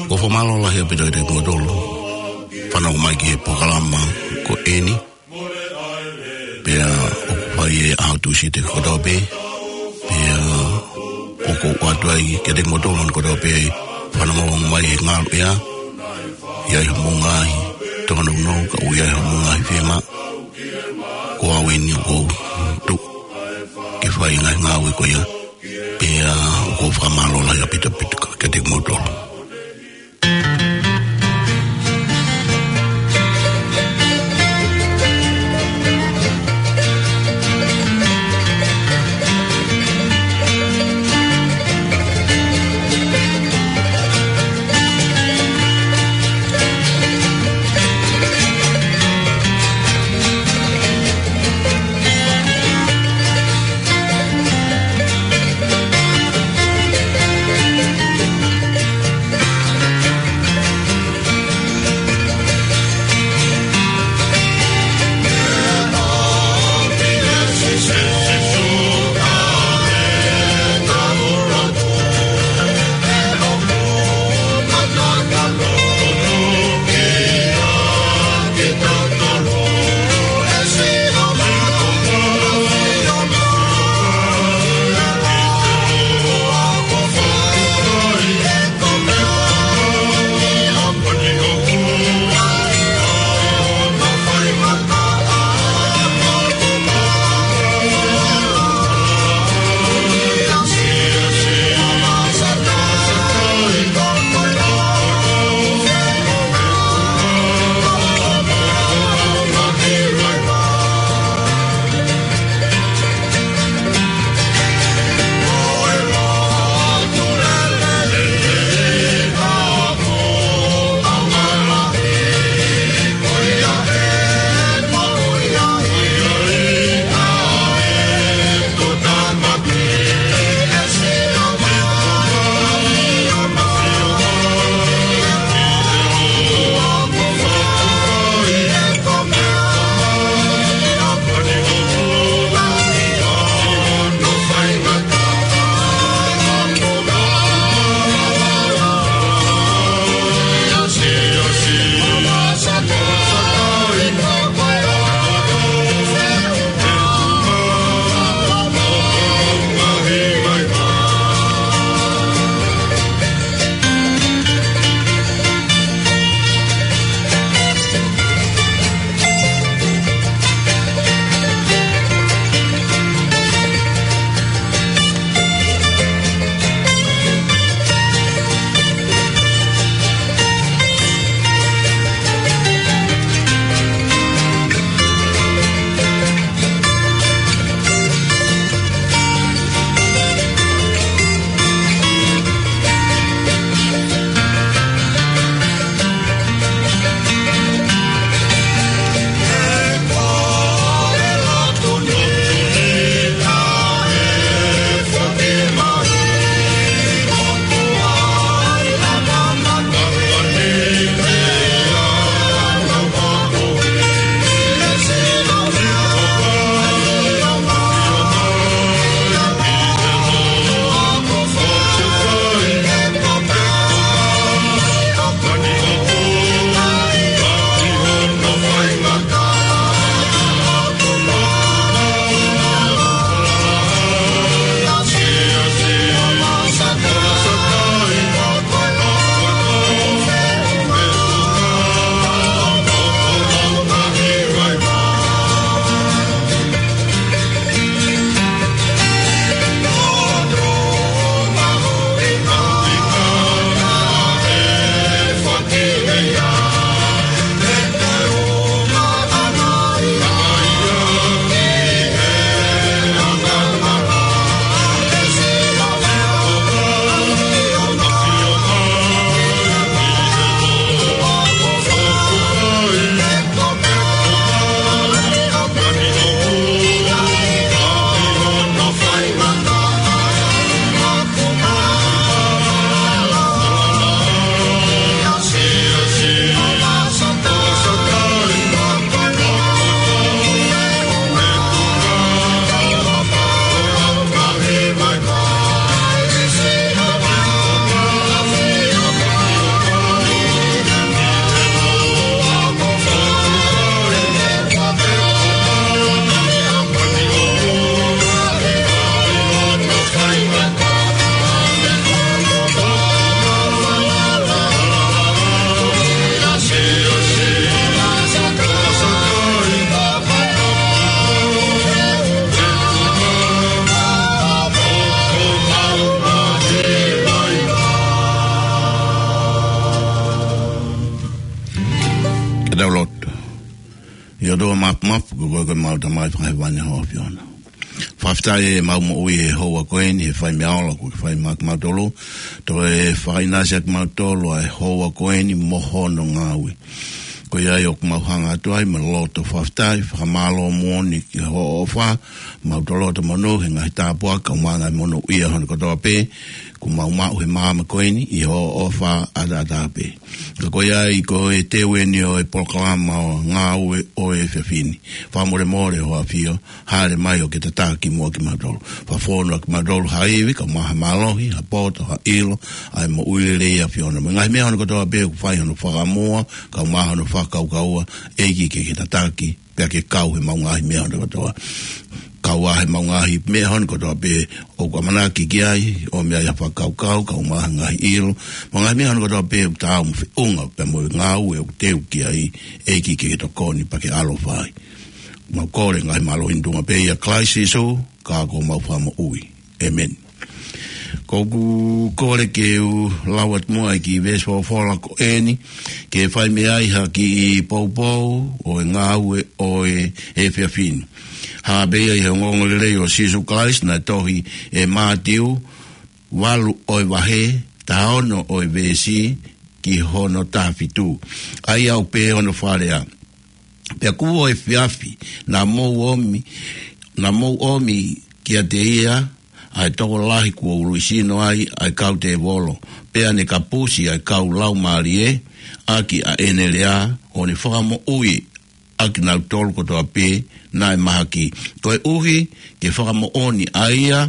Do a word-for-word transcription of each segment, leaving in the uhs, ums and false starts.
Ko e fakamālō lahi ʻaupito kiate kimoutolu fanongo mai ki he polokalama ko eni. Pea ʻoku fai ʻi he ʻaho Tūsite kotoa pē. Pea ʻoku ou ʻoatu ai kiate kimoutolu kotoa pē fanongo mai he ngaluʻea. ʻI ai hoʻomou ngaahi tōnounou, ka ʻoku ʻi ai hoʻomou ngaahi fiemaʻu, ko au eni ʻoku ou tuʻu ke fai e ngaahi ngāue ko ia. Pea ʻoku ou fakamālō lahi ʻaupito ʻaupito kiate kimoutolu. Tau lotu. ʻE ʻOtua Mafimafi, ko koe ko ʻemau Tamai Fakahēvani ʻa ho ʻAfio na. Fakafetaʻi ʻemau moʻui he houa ko eni, he fai meʻa ola kuo ke fai maʻa kimautolu. Toe fakaʻinasi ʻa kimautolu ʻa e houa ko eni mo hono ngāue. Ko ia ai ʻoku mau hanga atu ai mo e loto fakafetaʻi, fakamālō moʻoni ki hoʻo ʻofa, mau toloto monū he ngaahi tāpuaki, kae ʻumaʻā e ngaahi monūʻia hono kotoa pē, kuo mau maʻu he māmani ko eni ʻi hoʻo ʻofa ʻataʻatā pē. Ka ko ia ai ko e teu eni ʻo e polokalama ʻo e ngāue ʻo e efiafi ni. Fakamolemole ho ʻAfio, hāʻele mai ʻo ke tataki muʻa kimautolu. Fakafonu ʻa kimautolu ha ivi, kae ʻumaʻā ha mālohi, ha poto, ha ʻilo, ʻa e moʻui lelei ʻa e ʻAfio na. Mo e ngaahi meʻa hono kotoa pē ʻoku fai hono fakamua, kae ʻumaʻā hono fakakaukaua, ʻEiki ke ke tataki, pea ke kau he ʻemau ngaahi meʻa hono kotoa. Kau ai he ʻemau ngaahi meʻa hono kotoa pē ʻoku ʻamanaki ki ai, ʻo meʻa ai ha fakakaukau, kae ʻumaʻā ha ngaahi ʻilo, mo e ngaahi meʻa hono kotoa pē ʻoku taau mo feʻunga pea mo e ngāue ʻoku teu ki ai, ʻEiki ke ke tokoni pea ke ʻaloʻofa ai. Mau kole ngaahi mālohi ni tuʻunga pē ʻia Kalaisi Sīsū, ka ko homau Fakamoʻui. ʻĒmeni. ʻOku ou kole ke u lau atu muʻa e kiʻi veesi folofola ko eni, ke fai mei ai ha kiʻi poupou ʻo e ngāue ʻo e efiafi ni. Hā pē ia ʻi he ongoongolelei ʻo Sīsū Kalaisi naʻe tohi ʻe Mātiu, valu ʻo e vahe, taha ono ʻo e veesi, ki hono taha fitu. ʻA ia ʻoku pehē hono fakalea: Pea kuo efiafi, naʻa mou ʻomi, naʻa mou ʻomi kiate ia ʻa e tokolahi kuo uluʻi sino ai ʻa e kau tēvolo, pea ne kapusi ʻa e kau laumālie ʻaki ʻa ʻene lea, ʻo ne fakamoʻui ʻa kinautolu kotoa pē naʻe mahaki. Koeʻuhi ke fakamoʻoni ʻa ia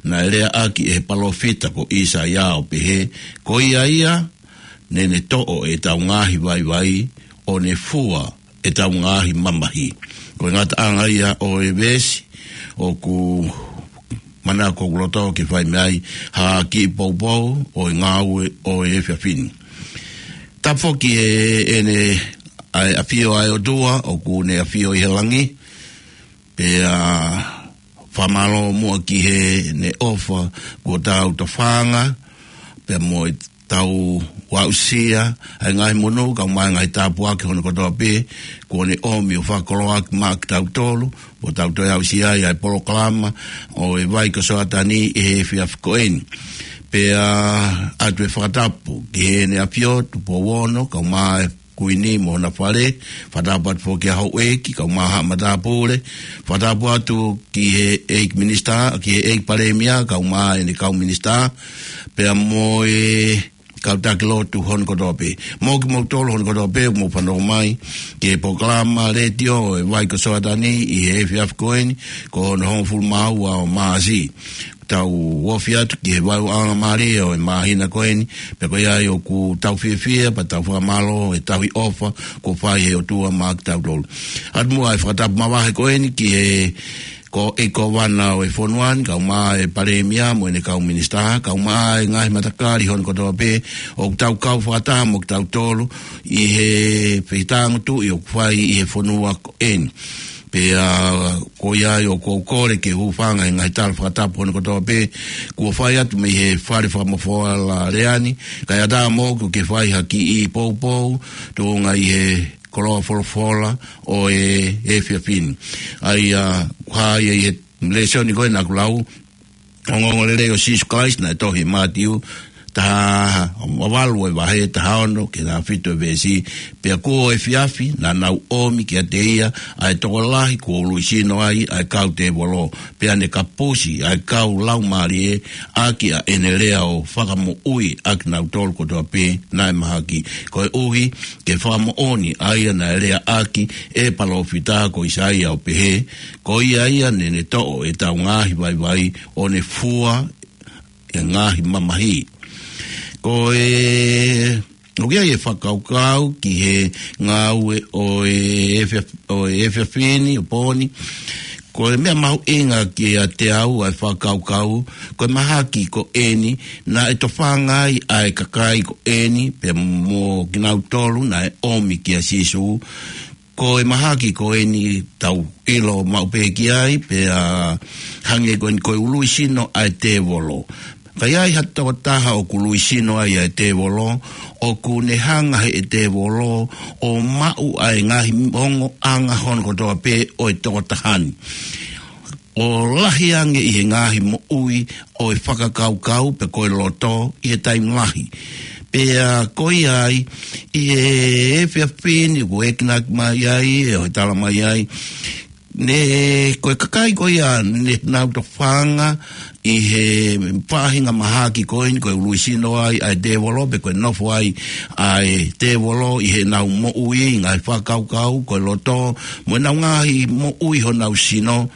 naʻe leaʻaki ʻe he palōfita ko ʻĪsaia ʻo pehē: Ko ia ia, naʻa ne toʻo ʻetau ngaahi vaivai, ʻo ne fua ʻetau ngaahi mamahi. Ko e ngataʻanga ia ʻo e veesi ʻoku manako ʻoku loto ke fai mei ai ha kiʻi poupou ʻo e ngāue ʻo e efiafi ni. Tapu foki ʻEne, ʻa e ʻAfio ʻa e ʻOtua ʻoku ne ʻafio ʻi he langi, pea fakamālō muʻa ki heʻene ʻofa kuo tau tofanga, pea mo ʻetau aʻusia ʻa e ngaahi monū, kae ʻumaʻā e ngaahi tāpuaki hono kotoa pē kuo ne ʻomi ʻo fakakoloaʻaki maʻa kitautolu, ʻo tau toe aʻusia ai ʻa e polokalama ʻo e Vai ko Soatani ʻi he efiafi ko eni. Pea ʻoatu e fakatapu ki heʻene ʻAfio Tupou Ono, kae ʻumaʻā e Kuini mo hona fale, fakatapu atu foki ki he houʻeiki, kae ʻumaʻā haʻa matāpule, fakatapu atu ki he ʻEiki Minisitā, ki he ʻEiki Palēmia, kae ʻumaʻā ʻene kau minisitā, pea mo e kau taki lotu hono kotoa pē. Mo kimoutolu hono kotoa pē, mou fanongo mai ki he polokalama letiō ʻo e Vai ko Soatani ʻi he efiafi ko eni, ko hono hongofulu mā ua ʻo Māʻasi. Tau ofi atu ki he vaeuaʻanga mālie ʻo e māhina ko eni, pea ko ia ai ʻoku tau fiefia, pea tau fakamālō he tauhi ʻofa kuo fai ʻe he ʻOtua maʻa kitautolu. ʻOatu muʻa e fakatapu mavahe ko eni ki he ko e Kōvana ʻo e fonua ni, kae ʻumaʻā e Palēmia mo ʻene kau minisitā, kae ʻumaʻā e ngaahi matakali hono kotoa pē ʻoku tau kau fakataha mo kitautolu ʻi he fehitāngutuʻi ʻoku fai ʻi he fonua ko eni. Pea ko ia ai ʻoku ou kole ke hūfanga he ngaahi tala fakatapu hono kotoa pē kuo fai atu mei he Fale Fakamoʻufola Lea ni, kae ʻatā moʻoku ke fai ha kiʻi poupou tuʻunga ʻi he koloa folofola ʻo e efiafi ni. ʻA ia, hā ia ʻi he lēsoni ko ē naʻa ku lau, ongoongolelei ʻo Sīsū Kalaisi naʻe tohi ʻe Mātiu, taha, valu ʻo e vahe, taha ono ki he taha fitu ʻo e veesi: Pea kuo efiafi, naʻa nau ʻomi kiate ia ʻa e tokolahi kuo uluʻi sino ai ʻa e kau tēvolo, pea ne kapusi ʻa e kau laumālie ʻaki ʻa ʻene lea, ʻo fakamoʻui ʻa kinautolu kotoa pē naʻe mahaki. Koeʻuhi ke fakamoʻoni ʻa ia naʻe leaʻaki ʻe he palōfita ko ʻĪsaia ʻo pehē: Ko ia ia, naʻa ne toʻo ʻetau ngaahi vaivai, ʻo ne fua e ngaahi mamahi. Ko e, ʻoku ʻi ai e fakakaukau ki he ngāue ʻo e efiaf-, ʻo e efiafi ni, ʻo e pō ni. Ko e meʻa mahuʻinga kiate au ʻa e fakakaukau, ko e mahaki ko eni naʻe tofanga ai ʻa e kakai ko eni, pea mo kinautolu naʻe ʻomi kia Sīsū. Ko e mahaki ko eni tau ʻilo maʻu pē ki ai, pea hangē ko eni ko e uluʻi sino ʻa e tēvolo. Ka ʻi ai ha tokotaha ʻoku luisino ai ʻa e tēvolo, ʻoku ne hanga he ʻe tēvolo ʻo maʻu ʻa e ngaahi ongoʻanga hono kotoa pē ʻo e tokotaha ni, ʻo lahi ange ʻi he ngaahi moʻui ʻo e fakakaukau pe ko e loto ʻi he taimi lahi. Pea ko ia ai, ʻi he efiafi ni ʻoku ekinaki mai ai, ʻe ʻo e tala mai ai, ne, ko e kakai ko ia ne nau tofanga ʻi he faʻahinga mahaki ko eni, ko e luisino ai ʻa e tēvolo, pe ko e nofo ai ʻa e tēvolo ʻi heʻenau moʻui, ngaahi fakakaukau, ko e loto, mo ʻenau ngaahi moʻui honau sino.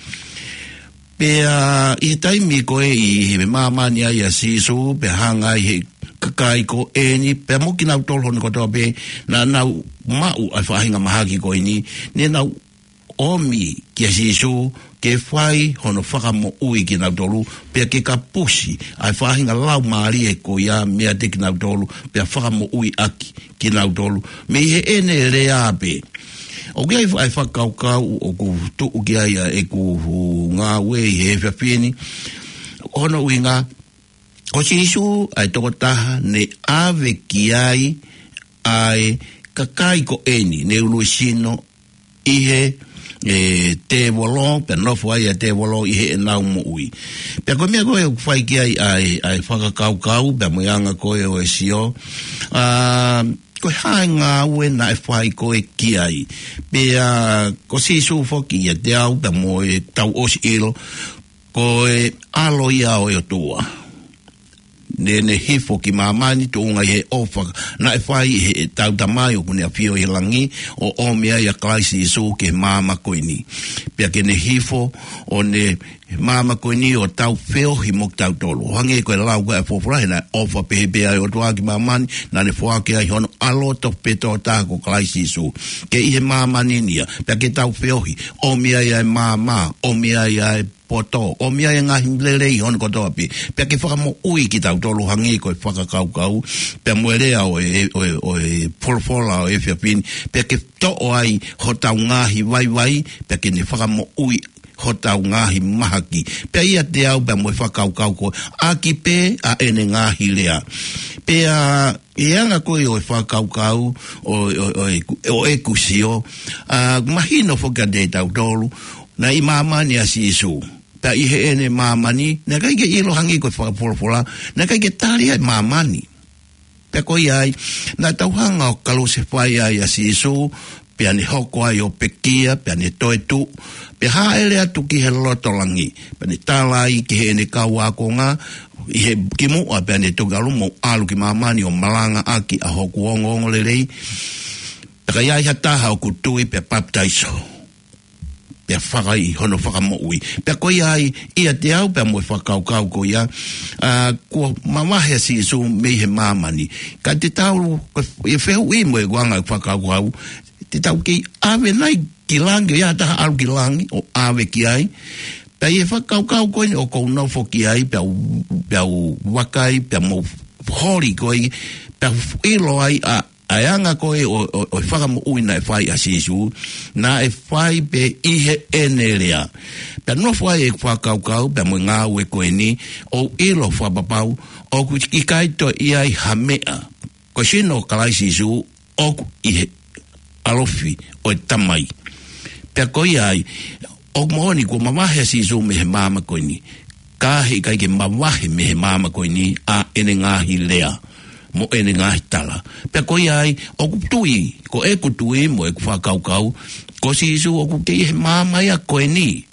Pea ʻi he taimi ko ē ʻi he māmani ai ʻa Sīsū, pea hanga ai he kakai ko eni, pea mo kinautolu hono kotoa pē, naʻa nau maʻu ʻa e faʻahinga mahaki ko eni, ne nau ʻomi kia Sīsū ke fai hono fakamoʻui kinautolu, pea ke kapusi ʻa e faʻahinga laumālie ko ia meiate kinautolu, pea fakamoʻui ʻaki kinautolu mei heʻene lea pē. ʻOku ʻi ai ʻa e fakakaukau ʻoku tuʻu ki ai ʻa ʻeku ngāue ʻi he efiafi ni, hono ʻuhinga, ko Sīsū ʻa e tokotaha ne ʻave ki ai ʻa e kakai ko eni ne luisino ʻi he, ʻe, tēvolo, pea nofo ai ʻa e tēvolo ʻi heʻenau moʻui. Pea ko e meʻa ko ē ʻoku fai ki ai ʻa e, ʻa e fakakaukau, pea mo e anga ko ē ʻo e sio, ʻa, ko e hā e ngāue naʻe fai ko ē ki ai. Pea ko Sīsū foki ʻiate au, pea mo e tau ʻosi ʻilo, ko e ʻAlo ia ʻo e ʻOtua. Ne, ne hifo ki māmani tuʻunga ʻi he ʻofa naʻe fai ʻe heʻetau Tamai ʻoku ne ʻafio ʻi langi, ʻo ʻomi ai ʻa Kalaisi Sīsū ki he māmani ko eni. Pea ke ne hifo ʻo ne māmani ko eni ʻo tau feohi mo kitautolu. ʻO hangē ko e lau ko ē ʻa e folofola, he naʻe ʻofa pehē pē ʻa e ʻOtua ki māmani, naʻa ne foaki ai hono ʻAlo tofu pē tokotaha ko Kalaisi Sīsū. Ke ʻi he māmani ni ia, pea ke tau feohi, ʻomi ai ʻa e maama, ʻomi ai ʻa e poto, ʻomi ai ʻa e ngaahi lelei hono kotoa pē, pea ke fakamoʻui kitautolu hangē ko e fakakaukau, pea mo e lea ʻo e, ʻo e, ʻo e folofola ʻo e efiafi ni, pea ke toʻo ai hotau ngaahi vaivai, pea ke ne fakamoʻui hotau ngaahi mahaki. Pea ʻiate au pea mo e fakakaukau ko ē, ʻaki pē ʻa ʻene ngaahi lea. Pea ʻi he anga ko ē ʻo e fakakaukau ʻo, ʻo, ʻo, ʻo ʻeku sio, ʻa, mahino foki kiate kitautolu, naʻe ʻi māmani ʻa Sīsū. Pea ʻi heʻene māmani, naʻe ʻikai ke ʻilo hangē ko e fakafolofola, naʻe ʻikai ke tali ʻa e māmani. Pea ko ia ai, naʻa tau hanga ʻo kalusefai ai ʻa Sīsū, pea ne hoko ai ʻo pekia, pea ne toetuʻu, pea hāʻele atu ki he loto langi, pea ne tala ai ki heʻene kau ākonga, ʻi he kimuʻa pea ne toki ʻalu, mou ʻalu ki māmani ʻo malangaʻaki ʻa hoku ongoongolelei. Pea ka ʻi ai ha taha ʻoku tui pea papitaiso, pea fakaʻi hono fakamoʻui. Pea ko ia ai, ʻiate au pea mo e fakakaukau ko ia, ʻa, kuo mavahe ʻa Sīsū mei he māmani. Ka te tau, ko e fehuʻi mo e anga e fakakaukau, te tau kei ʻave nai ki langi, ʻo ʻi ai ha taha ʻalu ki langi, ʻo ʻave ki ai. Pea ʻi he fakakaukau ko eni ʻoku ou nofo ki ai, pea u, pea u vakai, pea mou holi ko ē, pea u ʻilo ai ʻa, ʻa e anga ko ē ʻo, ʻo, ʻo e fakamoʻui naʻe fai ʻa Sīsū, naʻe fai pē ʻi heʻene lea. Pea nofo ai e fakakaukau, pea mo e ngāue ko eni, ʻo ʻilo fakapapau, ʻoku ʻikai toe ʻi ai ha meʻa. Ko e sino ʻo Kalaisi Sīsū, ʻoku ʻi he ʻalofi ʻo e Tamai. Pea ko ia ai, ʻoku moʻoni kuo mavahe ʻa Sīsū mei he māmani ko eni. Ka heʻikai ke mavahe mei he māmani ko eni ʻa ʻene ngaahi lea, mo ʻene ngaahi tala. Pea ko ia ai, ʻoku tui, ko ʻeku tui, mo ʻeku fakakaukau, ko Sīsū ʻoku kei ʻi he māmani ia ko eni.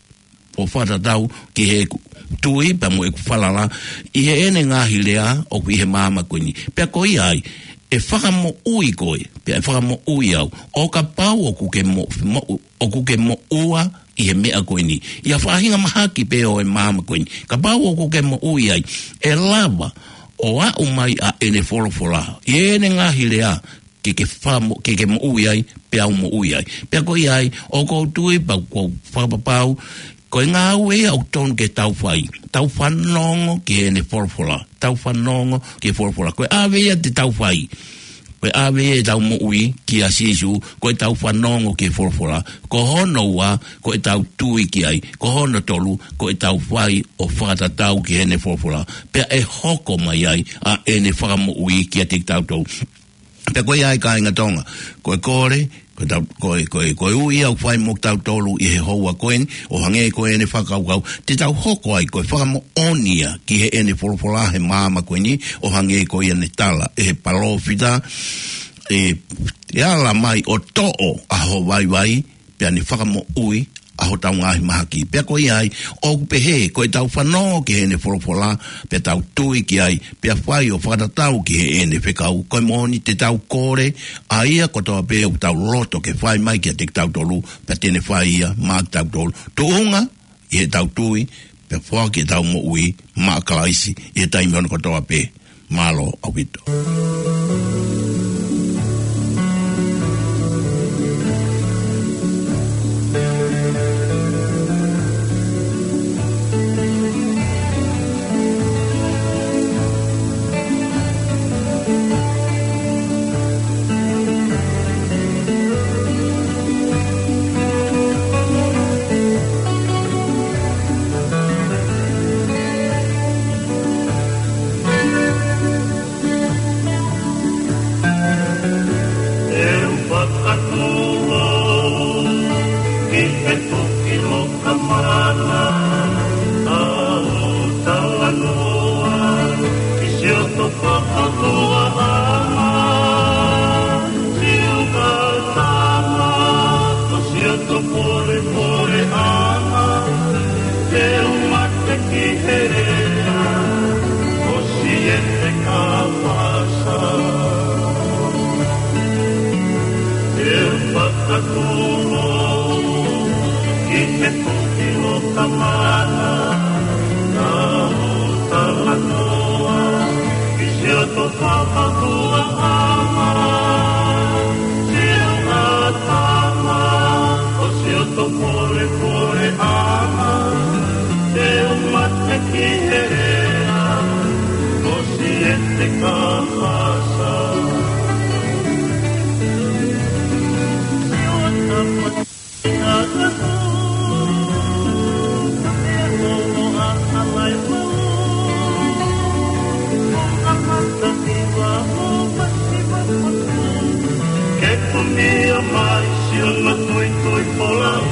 ʻO fakatatau ki heʻeku tui pea mo ʻeku falala ʻi heʻene ngaahi lea ʻoku ʻi he māmani ko eni. Pea ko ia ai, ʻe fakamoʻui koe, pea ʻe fakamoʻui au. ʻO kapau ʻoku ke mo-, mo-, ʻoku ke moʻua ʻi he meʻa ko eni, ʻi ha faʻahinga mahaki pē ʻo e māmani ko eni, kapau ʻoku ke moʻui ai, ʻe lava ʻo aʻu mai ʻa ʻene folofola, ʻi heʻene ngaahi lea, ke ke famo-, ke ke moʻui ai, pea u moʻui ai. Pea ko ia ai, ʻoku ou tui pea ʻoku ou fakapapau, ko e ngāue ia ʻoku totonu ke tau fai. Tau fanongo ki heʻene folofola. Tau fanongo ki he folofola. Ko e ʻave ia te tau fai. Ko e ʻave ʻetau moʻui kia Sīsū, ko ʻetau fanongo ki he folofola. Ko hono ua, ko ʻetau tui ki ai. Ko hono tolu, ko ʻetau fai ʻo fakatatau ki heʻene folofola. Pea ʻe hoko mai ai ʻa ʻene fakamoʻui kiate kitautolu. Pea ko ia ai kāinga Tonga, ko e kole, ko e tau, ko e, ko e, ko e ui ʻoku fai mo kitautolu ʻi he houa ko eni, ʻo hangē ko ʻene fakakaukau, te tau hoko ai ko e fakamoʻoni ia ki heʻene folofola he māmani ko eni, ʻo hangē ko ia ne tala ʻe he palōfita, ʻe, ʻe ala mai ʻo toʻo ʻa ho vaivai, pea ne fakamoʻui ʻa hotau ngaahi mahaki. Pea ko ia ai, ʻoku pehē, ko ʻetau fanongo ki heʻene folofola, pea tau tui ki ai, pea fai ʻo fakatatau ki heʻene fekau. Ko e moʻoni te tau kole, ʻa ia kotoa pē ʻoku tau loto ke fai mai kiate kitautolu, pea te ne fai ia maʻa kitautolu. Tuʻunga ʻi heʻetau tui, pea foaki ʻetau moʻui maʻa Kalaisi, ʻi he taimi ʻo kotoa pē. Mālō ʻaupito. ʻE u fakatūlou ki he toki loka mana, ʻa ʻeku talanoa ki siʻoto fakahohaʻa, siʻoto tama, ko siʻoto polepole ʻana, te u mate ki he lea ʻo Siete Kapasa. ʻE u fakatūlou ki he toki loka mana, ʻa ʻeku talanoa ki siʻoto fakahohaʻa, siʻoto tama, ko siʻoto polepole ʻana, te u mate ki he lea ʻo Siete Kapasa. Ke kumia mai siʻono tuitui folau.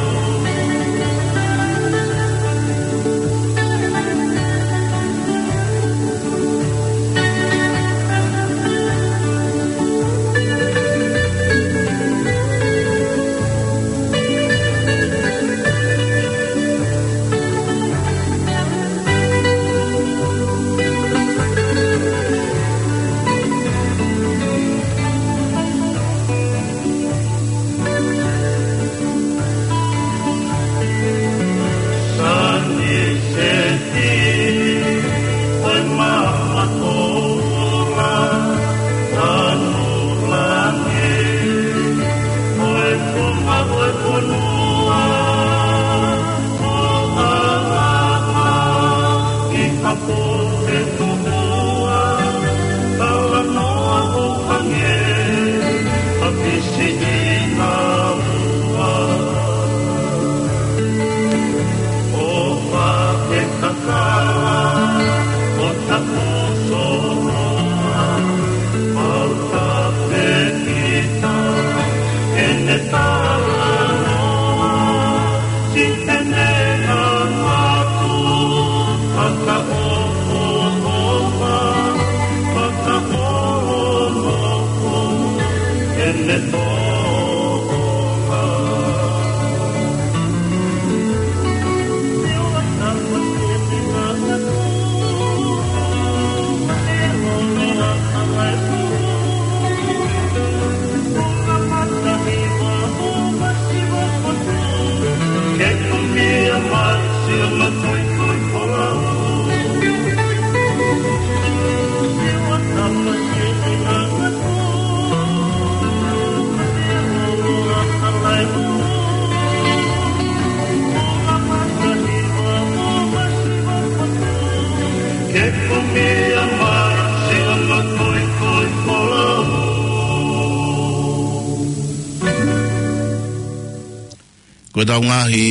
Ko ʻetau ngaahi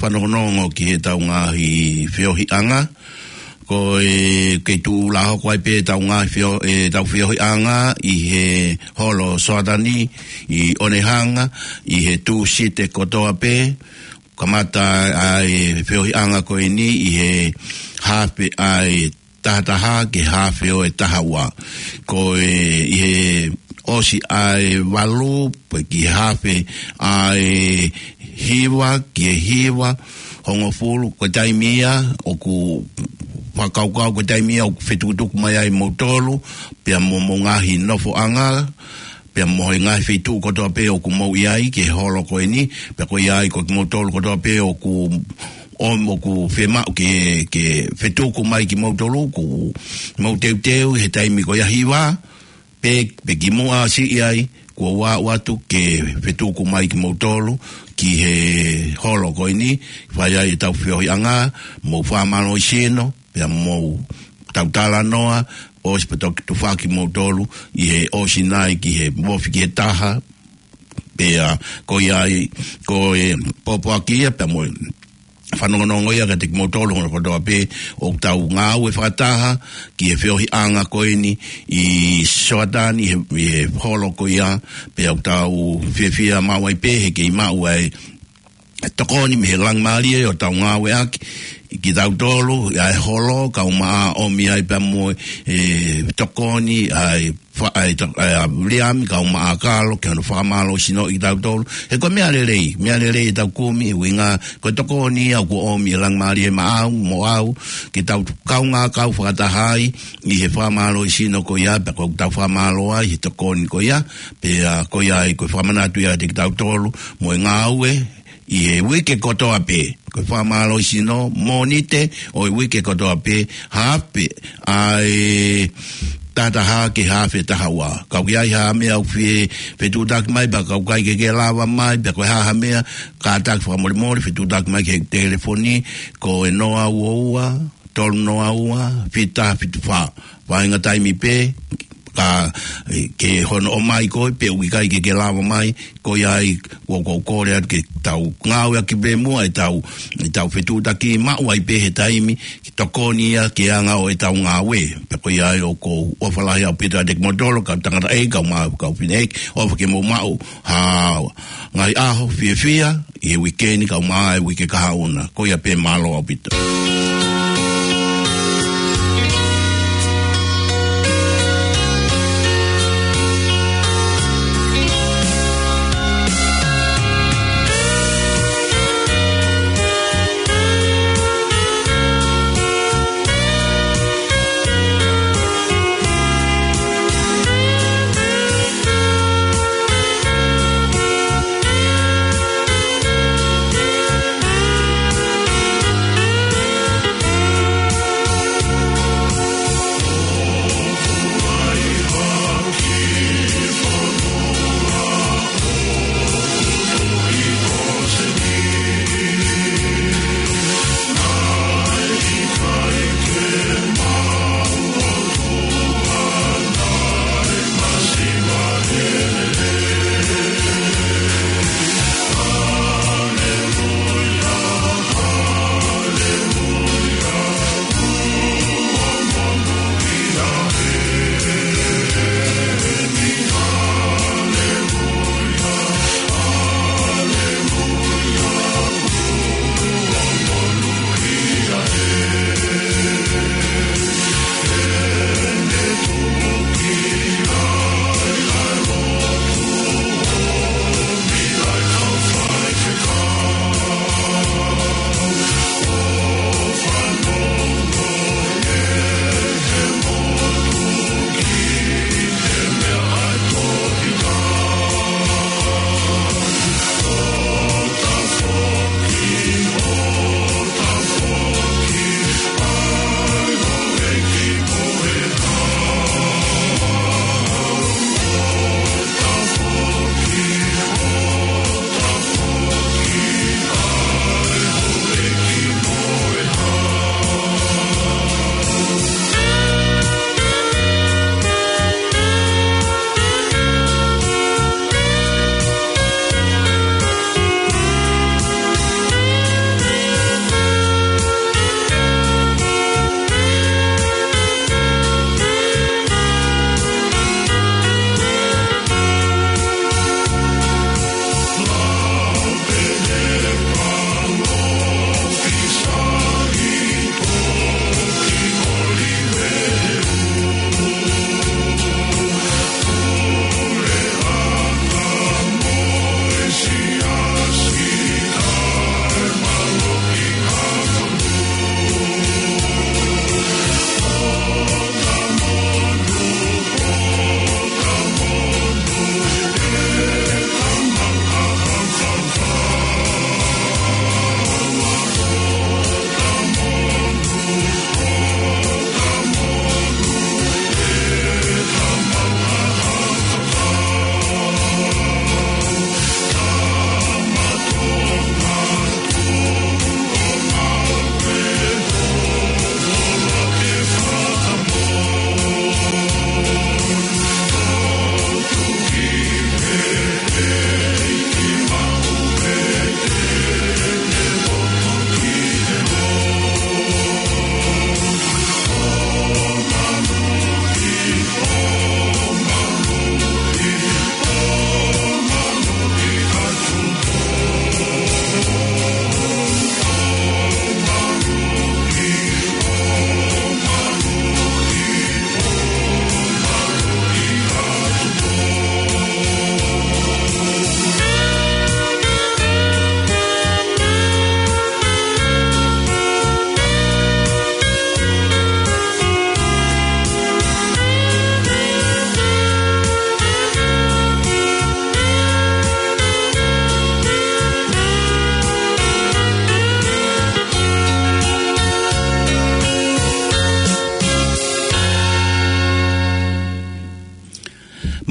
fanongonongo ki heʻetau ngaahi feohiʻanga, ko e kei tuʻu lā hoko ai pē ʻetau ngaahi feo-, ʻetau feohiʻanga ʻi he holo Soatani ʻi ʻOnehunga, ʻi he Tūsite kotoa pē, kamata ʻa e feohiʻanga ko eni ʻi he haafe ʻa e taha taha ki he haafe ʻo e taha ua. Ko e ʻi he ʻosi ʻa e valu, pea ki he haafe ʻa e hiva, ki he hiva hongofulu, ko e taimi ia ʻoku fakakaukau, ko e taimi ia ʻoku fetukutuku mai ai moutolu, pea mo hoʻomou ngaahi nofoʻanga, pea mo e ngaahi feituʻu kotoa pē ʻoku mou ʻi ai ki he holo ko eni, pea ko ia ai ko kimoutolu kotoa pē ʻoku, ʻo, ʻoku fiemaʻu ke, ke fetuku mai kimoutolu, ʻoku mou teuteu he taimi ko ia hiva, pe, pe kimuʻa siʻi ai, kuo u aʻu atu ke fetuku mai kimoutolu ki he holo ko eni, fai ai ʻetau feohiʻanga, mou fakamālohisino, pea mou tau talanoa, ʻosi pea toki tufaki moutolu ʻi he ʻosi nai ki he mofi ki he taha, pea ko ia ai, ko e pōpoaki ia, pea mo e fanongonongo ia kiate kimoutolu hono kotoa pē ʻoku tau ngāue fakataha ki he feohiʻanga ko eni ʻi Soatani, ʻi he, ʻi he holo ko ia, pea ʻoku tau fiefia maʻu ai pē he kei maʻu ai e tokoni mei he Laumālie ʻo tau ngāueʻaki kitautolu, ʻa e holo, kau maʻa ʻomi ai pea mo e tokoni, ʻa e fa-, ʻa e to-, ʻa e Viliami, kau maʻa Kalo, ke hono fakamālohisinoʻi kitautolu. He ko e meʻa lelei, meʻa lelei ʻetau kumi, ʻuhinga, ko e tokoni ia ʻoku ʻomi ʻe Laumālie maʻau, mo au, ke tau kaungā kau fakataha ai, ʻi he fakamālohisino ko ia, pea ko ʻetau fakamālō ai, he tokoni ko ia, pea ko ia ai, ko e fakamanatu ia kiate kitautolu, mo e ngāue, ʻi he uike kotoa pē. Ko e fakamālohisino Mōnite ʻo e uike kotoa pē, haafe ʻa e taha taha ki he haafe taha ua. Ka ʻoku ʻi ai ha meʻa ʻoku fie fetuʻutaki mai, pea ka ʻoku ʻikai ke ke lava mai, pea ko e hā ha meʻa, kātaki fakamolemole, fetuʻutaki mai ki he telefoni, ko e noa ua ua, tolu noa ua, fitu taha fitu fā. Vaʻinga taimi pē, ka, e, ke hono ʻomai koe, pe ʻoku ʻikai ke ke lava mai, ko ia ai, ʻoku ou kole atu ke tau ngāueʻaki pē muʻa ʻetau, ʻetau fetuʻutaki maʻu ai pē he taimi, ke tokoni ia ki he anga ʻo ʻetau ngāue. Pea ko ia ai ʻoku ou ʻofa lahi ʻaupito atu kiate kimoutolu, kau tangataʻeiki, kau mā, kau fineʻeiki, ʻofa ke mou maʻu ha ngaahi ʻaho fiefia, ʻi he uike ni kau maʻa e uike kahaʻu na. Ko ia pē, mālō ʻaupito.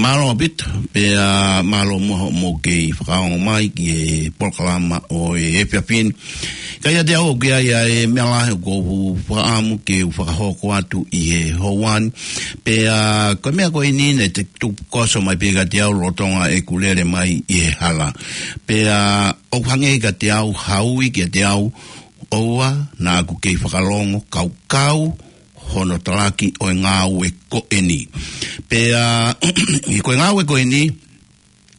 Mālō ʻaupito, pea mālō muʻa hoʻomou kei fakaongo mai ki he polokalama ʻo e efiafi ni. Ka ʻiate au ʻoku ʻi ai ʻa e meʻa lahi ʻoku ou fakaʻamu ke u fakahoko atu ʻi he houa ni. Pea ko e meʻa ko eni naʻe tupu koso mai pē kiate au lolotonga ʻeku lele mai ʻi he hala. Pea ʻoku hangē kiate au, ha ui kiate au, ʻoua naʻa ku kei fakalongo kaukau hono talaki ʻo e ngāue ko eni. Pea ʻi ko e ngāue ko eni,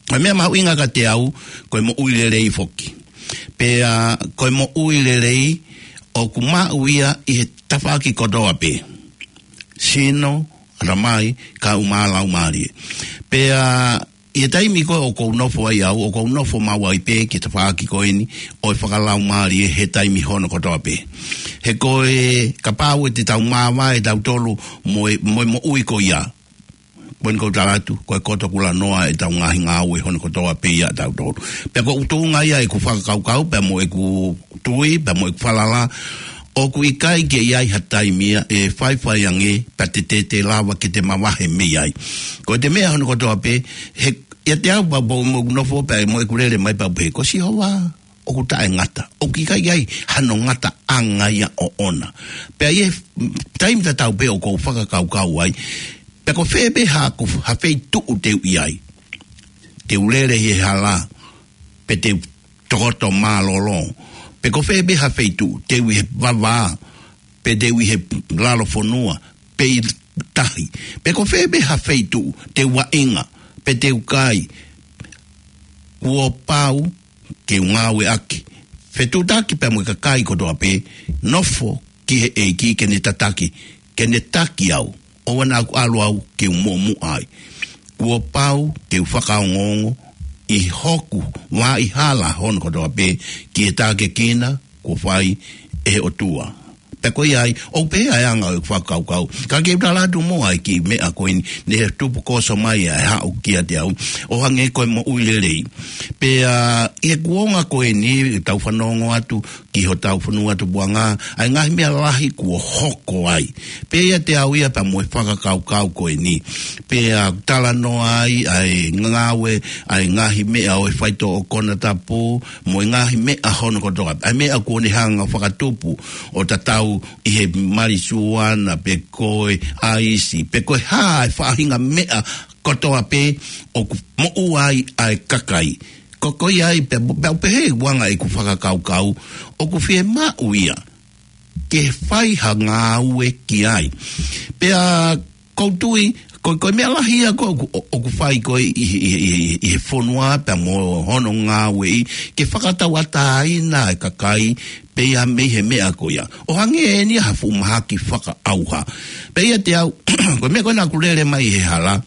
ko e meʻa mahuʻinga kiate au, ko e moʻui lelei foki. Pea ko e moʻui lelei ʻoku maʻu ia ʻi he tafaʻaki kotoa pē. Sino, ʻatamai, kae ʻumaʻā laumālie. Pea ʻi he taimi ko ē ʻoku ou nofo ai au, ʻoku ou nofo maʻu ai pē ki he tafaʻaki ko eni ʻo e fakalaumālie he taimi hono kotoa pē. He ko e kapau ʻe te tau māvae tautolu mo e, mo e moʻui ko ia. Ko eni ʻoku ou tala atu, ko e koto kulanoa ʻetau ngaahi ngāue hono kotoa pē ia tautolu. Pea ko e tuʻunga ia ʻeku fakakaukau, pea mo ʻeku tui, pea mo ʻeku falala, ʻoku ʻikai ke ʻi ai ha taimi ia ʻe faifai ange, pea te te te lava ke te mavahe mei ai. Ko e te meʻa hono kotoa pē, he, ʻiate au pea mo ʻeku nofo pea mo ʻeku lele mai pea pehē, ko Sihova, ʻoku taʻengata, ʻoku ʻikai ai hano ngataʻanga ia ʻoʻona. Pea ʻi he taimi tatau pē ʻoku ou fakakaukau ai, pea ko fē pē ha, ko ha feituʻu te u ʻi ai. Te u lele ʻi he hala, pe te u tokoto mālōlō. Pe ko fē pē ha feituʻu, te u ʻi he vavā, pe te u ʻi he lalo fonua, pe ʻi tahi. Pe ko fē pē ha feituʻu, te u vaʻinga, pe te u kai. Kuo pau ke u ngāueʻaki. Fetuʻutaki pea mo e kakai kotoa pē, nofo ki he ʻEiki ke ne tataki, ke ne taki au. ʻOua naʻa ku ʻalu au ke u muʻomuʻa ai. Kuo pau ke u fakaongoongo ʻi hoku vaʻa hala hono kotoa pē ki he tākiekina kuo fai ʻe he ʻOtua. Pea ko ia ai, ʻoku pehē ʻa e anga ʻo e fakakaukau. Ka ke u tala atu muʻa e kiʻi meʻa ko eni, naʻe tupu koso mai ʻa e haʻu kiate au, ʻo hangē ko e moʻui lelei. Pea ʻi he kuonga ko eni, tau fanongo atu ki hotau fonua tupuʻanga, ʻa e ngaahi meʻa lahi kuo hoko ai. Pea ʻiate au ia pea mo e fakakaukau ko eni. Pea talanoa ai, ʻa e ngāue, ʻa e ngaahi meʻa ʻo e faitoʻo konatapu, mo e ngaahi meʻa hono kotoa. ʻA e meʻa kuo ne hanga fakatupu ʻo tatau ʻi he marijuana pe ko e ʻaisi, pe ko e hā e faʻahinga meʻa kotoa pē ʻoku moʻua ai ʻa e kakai. Ko, ko ia ai, pea, pea pehē ʻa e anga ʻeku fakakaukau, ʻoku fiemaʻu ia ke fai ha ngāue ki ai. Pea ʻoku ou tui, ko, ko e meʻa lahi ia ko ē ʻoku, ʻoku fai ko ē ʻi, ʻi, ʻi, ʻi, ʻi he fonua pea mo hono ngāueʻi, ke fakatauʻatāina e kakai, pea mei he meʻa ko ia. ʻO hangē eni ha fuʻu mahaki fakaʻauha. Pea ʻiate au, ko e meʻa ko ē naʻa ku lele mai he hala,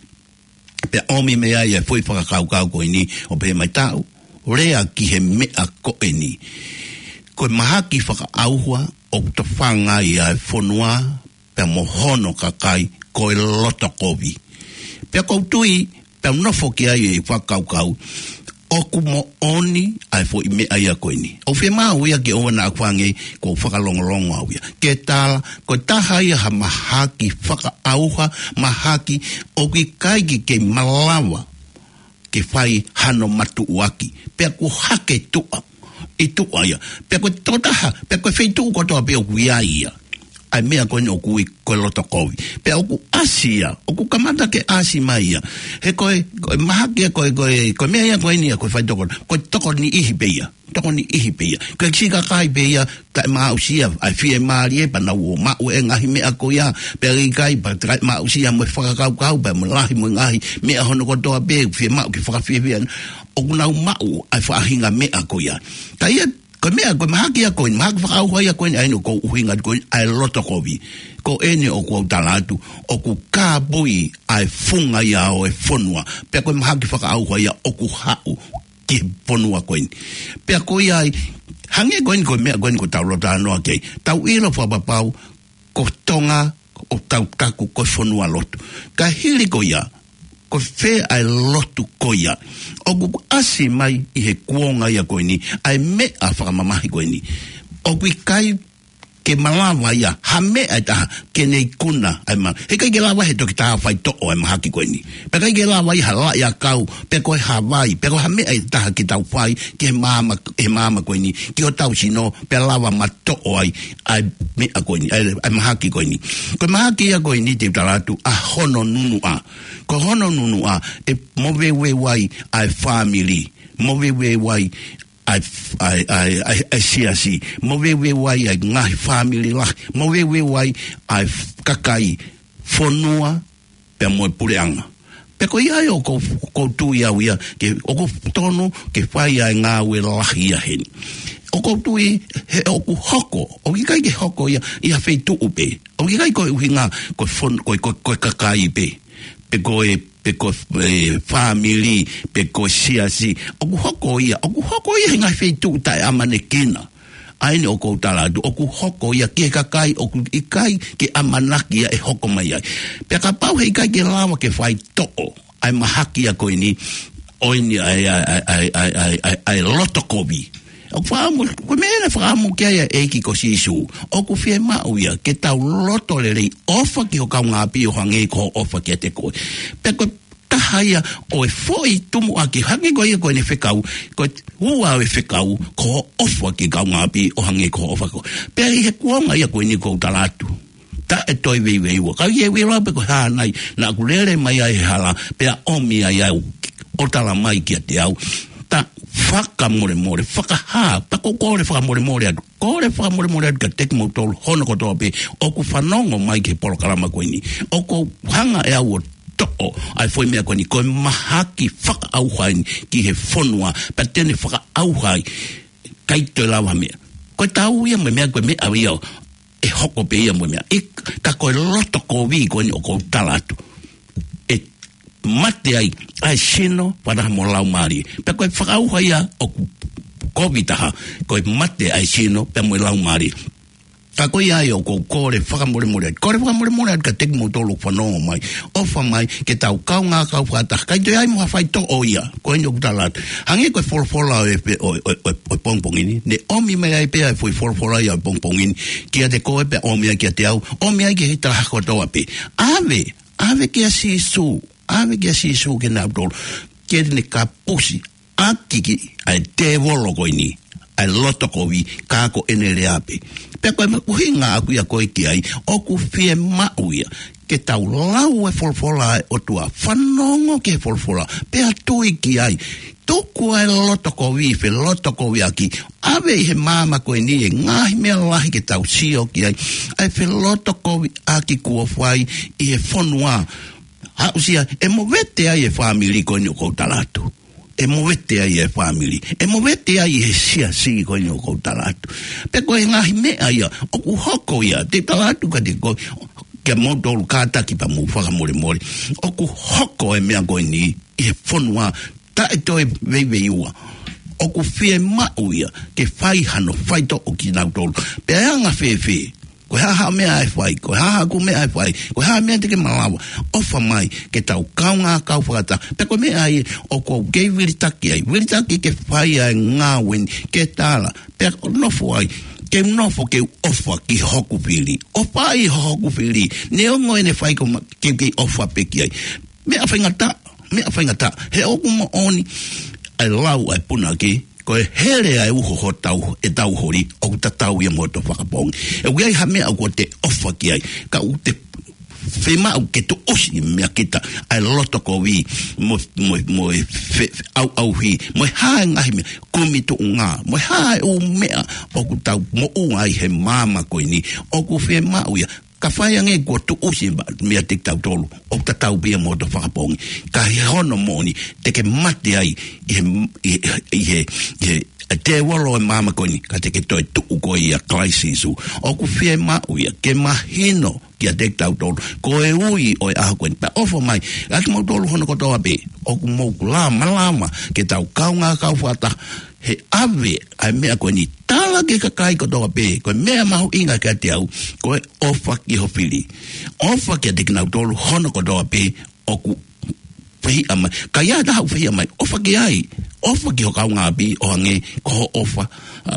pea ʻomi mei ai e foʻi fakakaukau ko eni, ʻo pehē mai taʻu, lea ki he meʻa ko eni. Ko e mahaki fakaʻauha ʻoku tofanga ai ʻa e fonua, pea mo hono kakai, ko e loto kovi. Pea ʻoku ou tui, pea u nofo ki ai e fakakaukau, ʻoku moʻoni ʻa e foʻi meʻa ia ko eni. ʻOku fiemaʻu ia ke ʻoua naʻa ku hangē ʻoku ou fakalongolongo au ia. Ke tala, ko e taha ia ha mahaki fakaʻauha, mahaki ʻoku ʻikai ke kei malava ke fai hano matuʻuaki. Pea kuo hake tuʻa, ʻi tuʻa ia. Pea ko e tokotaha, pea ko e feituʻu kotoa pē ʻoku ʻi ai ia. ʻA e meʻa ko eni ʻoku ui ko e loto kovi. Pea ʻoku ʻasi ia, ʻoku kamata ke ʻasi mai ia. He ko e, ko e mahaki ia, ko e, ko e, ko e meʻa ia ko eni ia, ko e faitoko, ko e tokoniʻihi pē ia. Tokoniʻihi pē ia. Ko e siʻi kakai pē ia, taʻemaʻusia ʻa e fiemālie, pea nau ō ʻo maʻu e ngaahi meʻa ko ia, pea ʻikai, pea taʻemaʻusia mo e fakakaukau, pea mo e lahi mo e ngaahi meʻa hono kotoa pē, fiemaʻu ke fakafiefia. ʻOku nau maʻu ʻa e faʻahinga meʻa ko ia. Ka ia, ko e meʻa, ko e mahaki ia ko eni, mahaki fakaʻauha ia ko eni, ʻa eni ʻoku ou ʻuhinga ko eni, ʻa e loto kovi. Ko eni ʻoku ou tala atu, ʻoku kāpui ʻa e funga ia ʻo e fonua. Pea ko e mahaki fakaʻauha ia ʻoku haʻu ki he fonua ko eni. Pea ko ia ai, hangē ko eni ko e meʻa ko eni ʻoku tau lōtanoa ki ai. Tau ʻilo fakapapau, ko Tonga, ʻoku tau taku ko e fonua lotu. Ka hili ko ia, ko fē ʻa e lotu ko ia. ʻOku ʻasi mai ʻi he kuonga ia ko eni, ʻa e meʻa fakamamahi ko eni. ʻOku ʻikai ke malava ia ha meʻa ʻe taha ke ne ikuna ʻa e ma-, heʻikai ke lava he toketā faitoʻo ʻa e mahaki ko eni. Pea ʻikai ke lava ia ha laʻi ʻakau, pe ko e ha vai, pe ko ha meʻa ʻe taha ke tau fai ki he māmā, he māmā ko eni, ki hotau sino, pea lava matoʻo ai ʻa e meʻa ko eni, ʻa e, ʻa e mahaki ko eni. Ko e mahaki ia ko eni te u tala atu ʻa hono nunuʻa. Ko hono nunuʻa ʻe moveuveu ai ʻa e fāmili, moveuveu ai ʻa e, ʻa e, ʻa e, ʻa e, ʻa e siasi, moveuveu ai ʻa e ngaahi fāmili lahi, moveuveu ai ʻa e f-, kakai, fonua, pea mo e puleʻanga. Pea ko ia ai ʻoku ou, ʻoku ou tui au ia, ke ʻoku totonu ke fai ʻa e ngāue lahi ia heni. ʻOku ou tui he ʻoku hoko, ʻoku ʻikai ke hoko ia ʻi ha feituʻu pē. ʻOku ʻikai ko e ʻuhinga ko e fon-, ko e, ko e, ko e kakai pē, pe ko e, pe ko e, e, fāmili, pe ko e siasi. ʻOku hoko ia, ʻoku hoko ia he ngaahi feituʻu taʻeʻamanekina. ʻA eni ʻoku ou tala atu, ʻoku hoko ia ki he kakai ʻoku ʻikai ke ʻamanaki ia ʻe hoko mai ai. Pea kapau heʻikai ke lava ke faitoʻo ʻa e mahaki ia ko eni, ʻo eni ʻa e, ʻa e loto kovi. ʻOku fakaʻamu, ko e meʻa naʻe fakaʻamu ki ai ʻa e ʻEiki ko Sīsū. ʻOku fiemaʻu ia ke tau loto lelei, ʻofa ki ho kaungāʻapi ʻo hangē ko hoʻo ʻofa kiate koe. Pea ko e taha ia ʻo e foʻi tumuʻaki, hangē ko ia ko ʻene fekau, ko e ua ʻo e fekau, ko hoʻo ʻofa ki he kaungāʻapi ʻo hangē ko hoʻo ʻofa koe. Pea ʻi he kuonga ia ko eni ʻoku ou tala atu, taʻe toe veiveiua. Ka ʻi he veiveiua pē ko e hā nai, naʻa ku lele mai ai he hala, pea ʻomi ai au, ʻo tala mai kiate au, ta fakamolemole, fakahā, ta ko e kole fakamolemole atu. Kole fakamolemole atu kiate kimoutolu hono kotoa pē ʻoku fanongo mai ki he polokalama ko eni. ʻOku ou hanga ʻe au ʻo toʻo ʻa e foʻi meʻa ko eni, ko e mahaki fakaʻauha eni ki he fonua, pea te ne fakaʻauha ai, ʻikai toe lava meʻa. Ko e tau ia mo e meʻa, ko e meʻa ia ʻe hoko pē ia mo e meʻa. ʻIk-, ka ko e loto kovi ko eni ʻoku ou tala atu, ʻe mate ai ʻa e sino, fakataha mo e laumālie. Pea ko e fakaʻauha ia ʻoku kovi taha, ko e mate ʻa e sino, pea mo e laumālie. Ka ko ia ai ʻoku ou kole fakamolemole atu. Kole fakamolemole atu kiate kimoutolu ʻoku fanongo mai. ʻOfa mai ke tau kaungā kau fakataha. ʻIkai toe ʻi ai mo ha faitoʻo ia. Ko eni ʻoku tala atu. Hangē ko e folofola ʻo e pe-, ʻo, ʻo, ʻo, ʻo e pongipongi ni. Ne ʻomi mai ai pē ʻa e foʻi folofola ia ʻo e pongipongi ni kiate koe pea ʻomi ai kiate au. ʻOmi ai ki he tala kotoa pē. ʻAve, ʻave kia Sīsū. ʻAve kia Sīsū kinautolu ke ne kapusi ʻaki ʻa e tēvolo ko eni ʻa e loto kovi, ka ko ʻene lea pē. Pea ko e ʻuhinga ʻaku ia ko e ki ai, ʻoku fiemaʻu ia ke tau lau e folofola ʻa e ʻOtua, fanongo ki he folofola, pea tui ki ai. Tuku ʻa e loto kovi, felotokoviʻaki, ʻave ʻi he māmani ko eni e ngaahi meʻa lahi ke tau sio ki ai, ʻa e felotokoviʻaki kuo fai ʻi he fonua. Aʻusia, ʻe movete ai e fāmili ko eni ʻoku ou tala atu. ʻE movete ai e fāmili. ʻE movete ai he siasi ko eni ʻoku ou tala atu. Pea ko e ngaahi meʻa ia ʻoku hoko ia, te u tala atu kiate koe, kia moutolu kātaki pea mou fakamolemole. ʻOku hoko e meʻa ko eni ʻi he fonua taʻe toe veiveiua. ʻOku fiemaʻu ia ke fai hano faitoʻo kinautolu. Pea ʻe anga fēfē? Ko e hā haʻo meʻa ʻe fai, ko e hā haʻaku meʻa ʻe fai, ko e hā meʻa te ke malava, ʻofa mai ke tau kaungā kau fakataha. Pea ko e meʻa ia ʻoku ou kei vilitaki ai, vilitaki ke fai ʻa e ngāue ni, ke tala, pea ʻoku nofo ai, ke nofo ke u ʻofa ki hoku fili. ʻOfa ʻi hoku fili, neongo ʻene fai ko ma-, ke u kei ʻofa pē ki ai. Meʻa faingataʻa, meʻa faingataʻa. He ʻoku moʻoni ʻa e lau ʻa e punake, ko e hele ʻa e uho hotau, ʻetau holi, ʻoku tatau ia mo hoto fakapoongi. ʻOku ʻi ai ha meʻa ʻoku te ʻofa ki ai, ka ʻoku te fiemaʻu ke tuʻusi meiate kita ʻa e loto kovi, mo, mo, mo e fe-, fe-, ʻauʻauhi, mo e hā e ngaahi meʻa, kumi tuʻunga, mo e hā e ʻū meʻa ʻoku tau moʻua ai he māmani ko eni, ʻoku fiemaʻu ia, ka fai ange kuo tuʻusi ma-, meiate kitautolu, ʻoku tatau pē ia mo hoto fakapoongi. Ka ʻi hono moʻoni, te ke mate ai ʻi he, ʻi he, ʻi he, ʻi he tēvolo ʻo e māmani ko eni, ka te ke toe tuʻu koe ʻia Kalaisi Sīsū. ʻOku fiemaʻu ia ke mahino kiate kitautolu ko e ui ʻo e ʻaho ko eni. Pea ʻofa mai, ʻa kimoutolu hono kotoa pē ʻoku mou lava, malava ke tau kaungā kau fakataha he ʻave ʻa e meʻa ko eni, tala ki he kakai kotoa pē, ko e meʻa mahuʻinga kiate au, ko e ʻofa ki ho fili. ʻOfa kiate kinautolu hono kotoa pē ʻoku fehiʻa mai. Ka ʻi ai ha taha ʻoku fehiʻa mai, ʻofa ki ai. ʻOfa ki ho kaungāʻapi ʻo hangē ko hoʻo ʻofa, ʻa,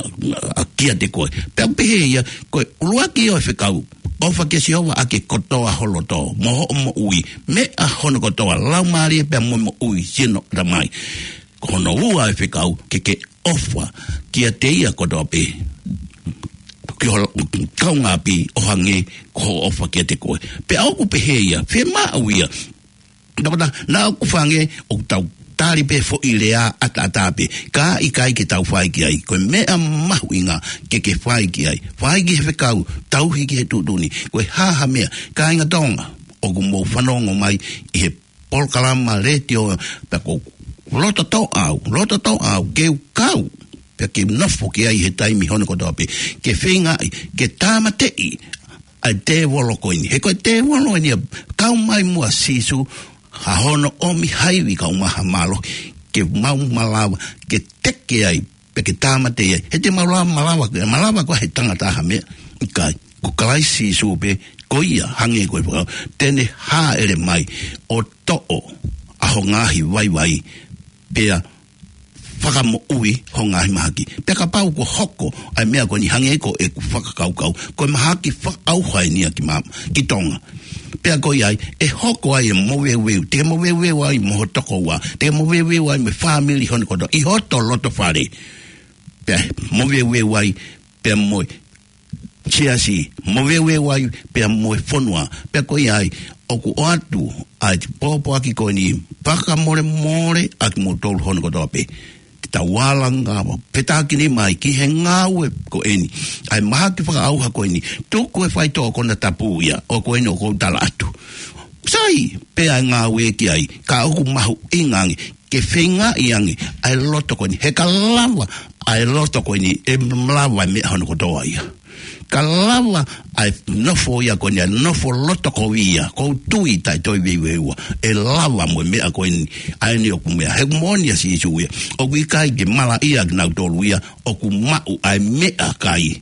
ʻa, kiate koe. Pea pehē ia, ko e ʻuluaki ʻo e fekau, ʻofa kia Sihova ʻaki e kotoa ho loto, mo hoʻo moʻui, meʻa hono kotoa, laumālie pea mo e moʻui, sino, ʻatamai. Ko hono ua ʻo e fekau, ke ke ʻofa kiate ia kotoa pē, ki ho kaungāʻapi ʻo hangē ko hoʻo ʻofa kiate koe. Pea ʻoku pehē ia, fiemaʻu ia. Naʻa, naʻa ʻoku fai ange ʻoku tau tali pē foʻi lea ʻataʻatā pē. Ka ʻikai ke tau fai ki ai. Ko e meʻa mahuʻinga ke ke fai ki ai. Fai ki he fekau, tauhi ki he tuʻutuʻuni. Ko e hā ha meʻa, kāinga Tonga, ʻoku mou fanongo mai ʻi he polokalama letiō, pea ʻoku ou loto toʻa au, loto toʻa au, ke u kau, pea ke u nofo ki ai he taimi hono kotoa pē, ke feingaʻi, ke tāmateʻi ʻa e tēvolo ko eni. He ko e tēvolo eni ia, kau mai muʻa Sīsū, ha hono ʻomi ha ivi kae ʻumaʻā ha mālohi, ke mau malava, ke teke ai, pea ke tāmateʻi ai. He te mau lava malava, malava koā he tangata ha meʻa? ʻIkai, ko Kalaisi Sīsū pē, ko ia hangē ko e fekau, te ne hāʻele mai ʻo toʻo ʻa ho ngaahi vaivai, pea fakamoʻui ho ngaahi mahaki. Pea kapau kuo hoko ʻa e meʻa ko eni hangē ko ʻeku fakakaukau, ko e mahaki fakaʻauha eni ia ki ma-, ki Tonga. Pea ko ia ai, ʻe hoko ai e moveuveu, te ke moveuveu ai mo ho tokoua, te ke moveuveu ai mo e fāmili hono kotoa, ʻi hoto loto fale. Pea moveuveu ai, pea mo e siasi, moveuveu ai, pea mo e fonua. Pea ko ia ai, ʻoku ʻoatu ʻa e pōpoaki ko eni, fakamolemole ʻa kimoutolu hono kotoa pē. Te tau alanga, fetākinima ai ki he ngāue ko eni. ʻA e mahaki fakaʻauha ko eni, tuku e faitoʻo konatapu ia, ʻo ko eni ʻoku ou tala atu. Sai, pea ngāue ki ai, ka ʻoku mahuʻinga ange, ke feingaʻi ange ʻa e loto ko eni, he ka lava ʻa e loto ko eni, ʻe malava e meʻa hono kotoa ia. Ka lava ʻa e nofo ia ko eni, ʻa e nofo loto kovi ia, ʻoku ou tui taʻe toe veiveiua, ʻe lava mo e meʻa ko eni, ʻa eni ʻoku meʻa, he moʻoni ʻa Sīsū ia, ʻoku ʻikai ke malaʻia kinautolu ia ʻoku maʻu ʻa e meʻakai,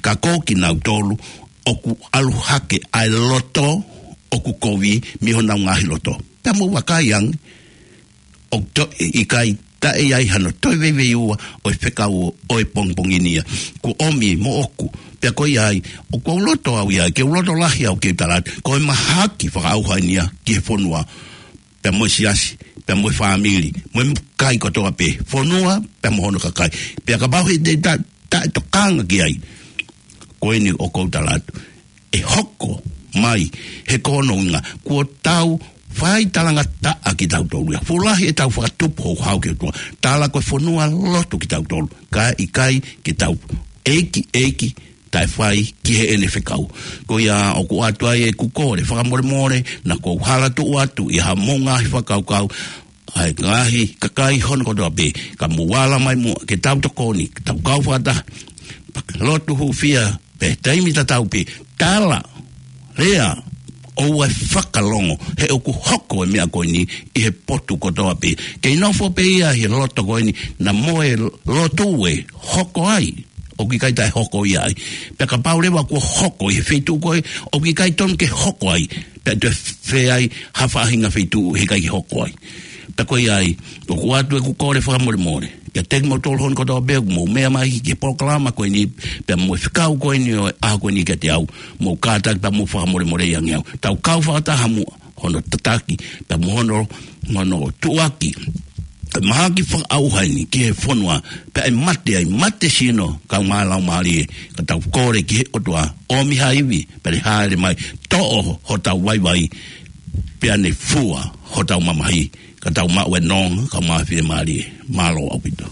ka ko kinautolu ʻoku ʻalu hake ʻa e loto ʻoku kovi mei honau ngaahi loto. Pea mou vakai ange, ʻoku toe ʻikai, taʻe ʻi ai hano toe veiveiua ʻo e fekau ʻo e pongipongi ni ia. Kuo ʻomi moʻoku, pea ko ia ai, ʻoku ou loto au ia, ke u loto lahi au ke u tala atu, ko e mahaki fakaʻauha eni ia ki he fonua, pea mo e siasi, pea mo e fāmili, mo e kai kotoa pē, fonua, pea mo hono kakai. Pea kapau he te ta-, taʻe tokanga ki ai, ko eni ʻoku ou tala atu, ʻe hoko mai, he ko hono ʻuhinga, kuo tau fai talangataʻa kitautolu ia. Fuʻu lahi ʻetau fakatupu houhau ki he ʻOtua. Tala ko e fonua lotu kitautolu. Ka ʻikai ke tau ʻeiki, ʻeiki, taʻe fai ki heʻene fekau. Ko ia ʻoku ʻoatu ai ʻeku kole fakamolemole, naʻa ku hala tuʻu atu ʻi ha mou ngaahi fakakaukau, ʻa e ngaahi kakai hono kotoa pē, ka mou ala mai muʻa ke tau tokoni, ke tau kau fakataha, lotu hūfia, pea taimi tatau pē, tala, lea, ʻoua ʻe fakalongo, he ʻoku hoko e meʻa ko eni ʻi he potu kotoa pē. Kei nofo pē ia he loto ko eni, naʻa mo e lotu ʻe hoko ai, ʻoku ʻikai taʻe hoko ia ai. Pea kapau leva kuo hoko ʻi he feituʻu ko ē, ʻoku ʻikai tonu ke hoko ai. Pea toe fai ai ha faʻahinga feituʻu he ʻikai ke hoko ai. Pea ko ia ai, ʻoku ʻoatu ʻeku kole fakamolemole kiate kimoutolu hono kotoa pē ʻoku mou meʻa mai ki he polokalama ko eni, pea mo e fekau ko eni ʻo e ʻaho ko eni kiate au, mou kātaki pea mou fakamolemoleʻi ange au. Tau kau fakataha muʻa hono tataki, pea mo hono, hono tuʻuaki ʻa e mahaki fakaʻauha eni ki he fonua, pea ʻe mate ai, mate sino, kae ʻumaʻā e laumālie, ka tau kole ki he ʻOtua, ʻomi ha ivi, pea ne hāʻele mai, toʻo hotau vaivai, pea ne fua hotau mamahi, ka tau maʻu e nonga, kae ʻumaʻā e fiemālie. Mālō ʻaupito.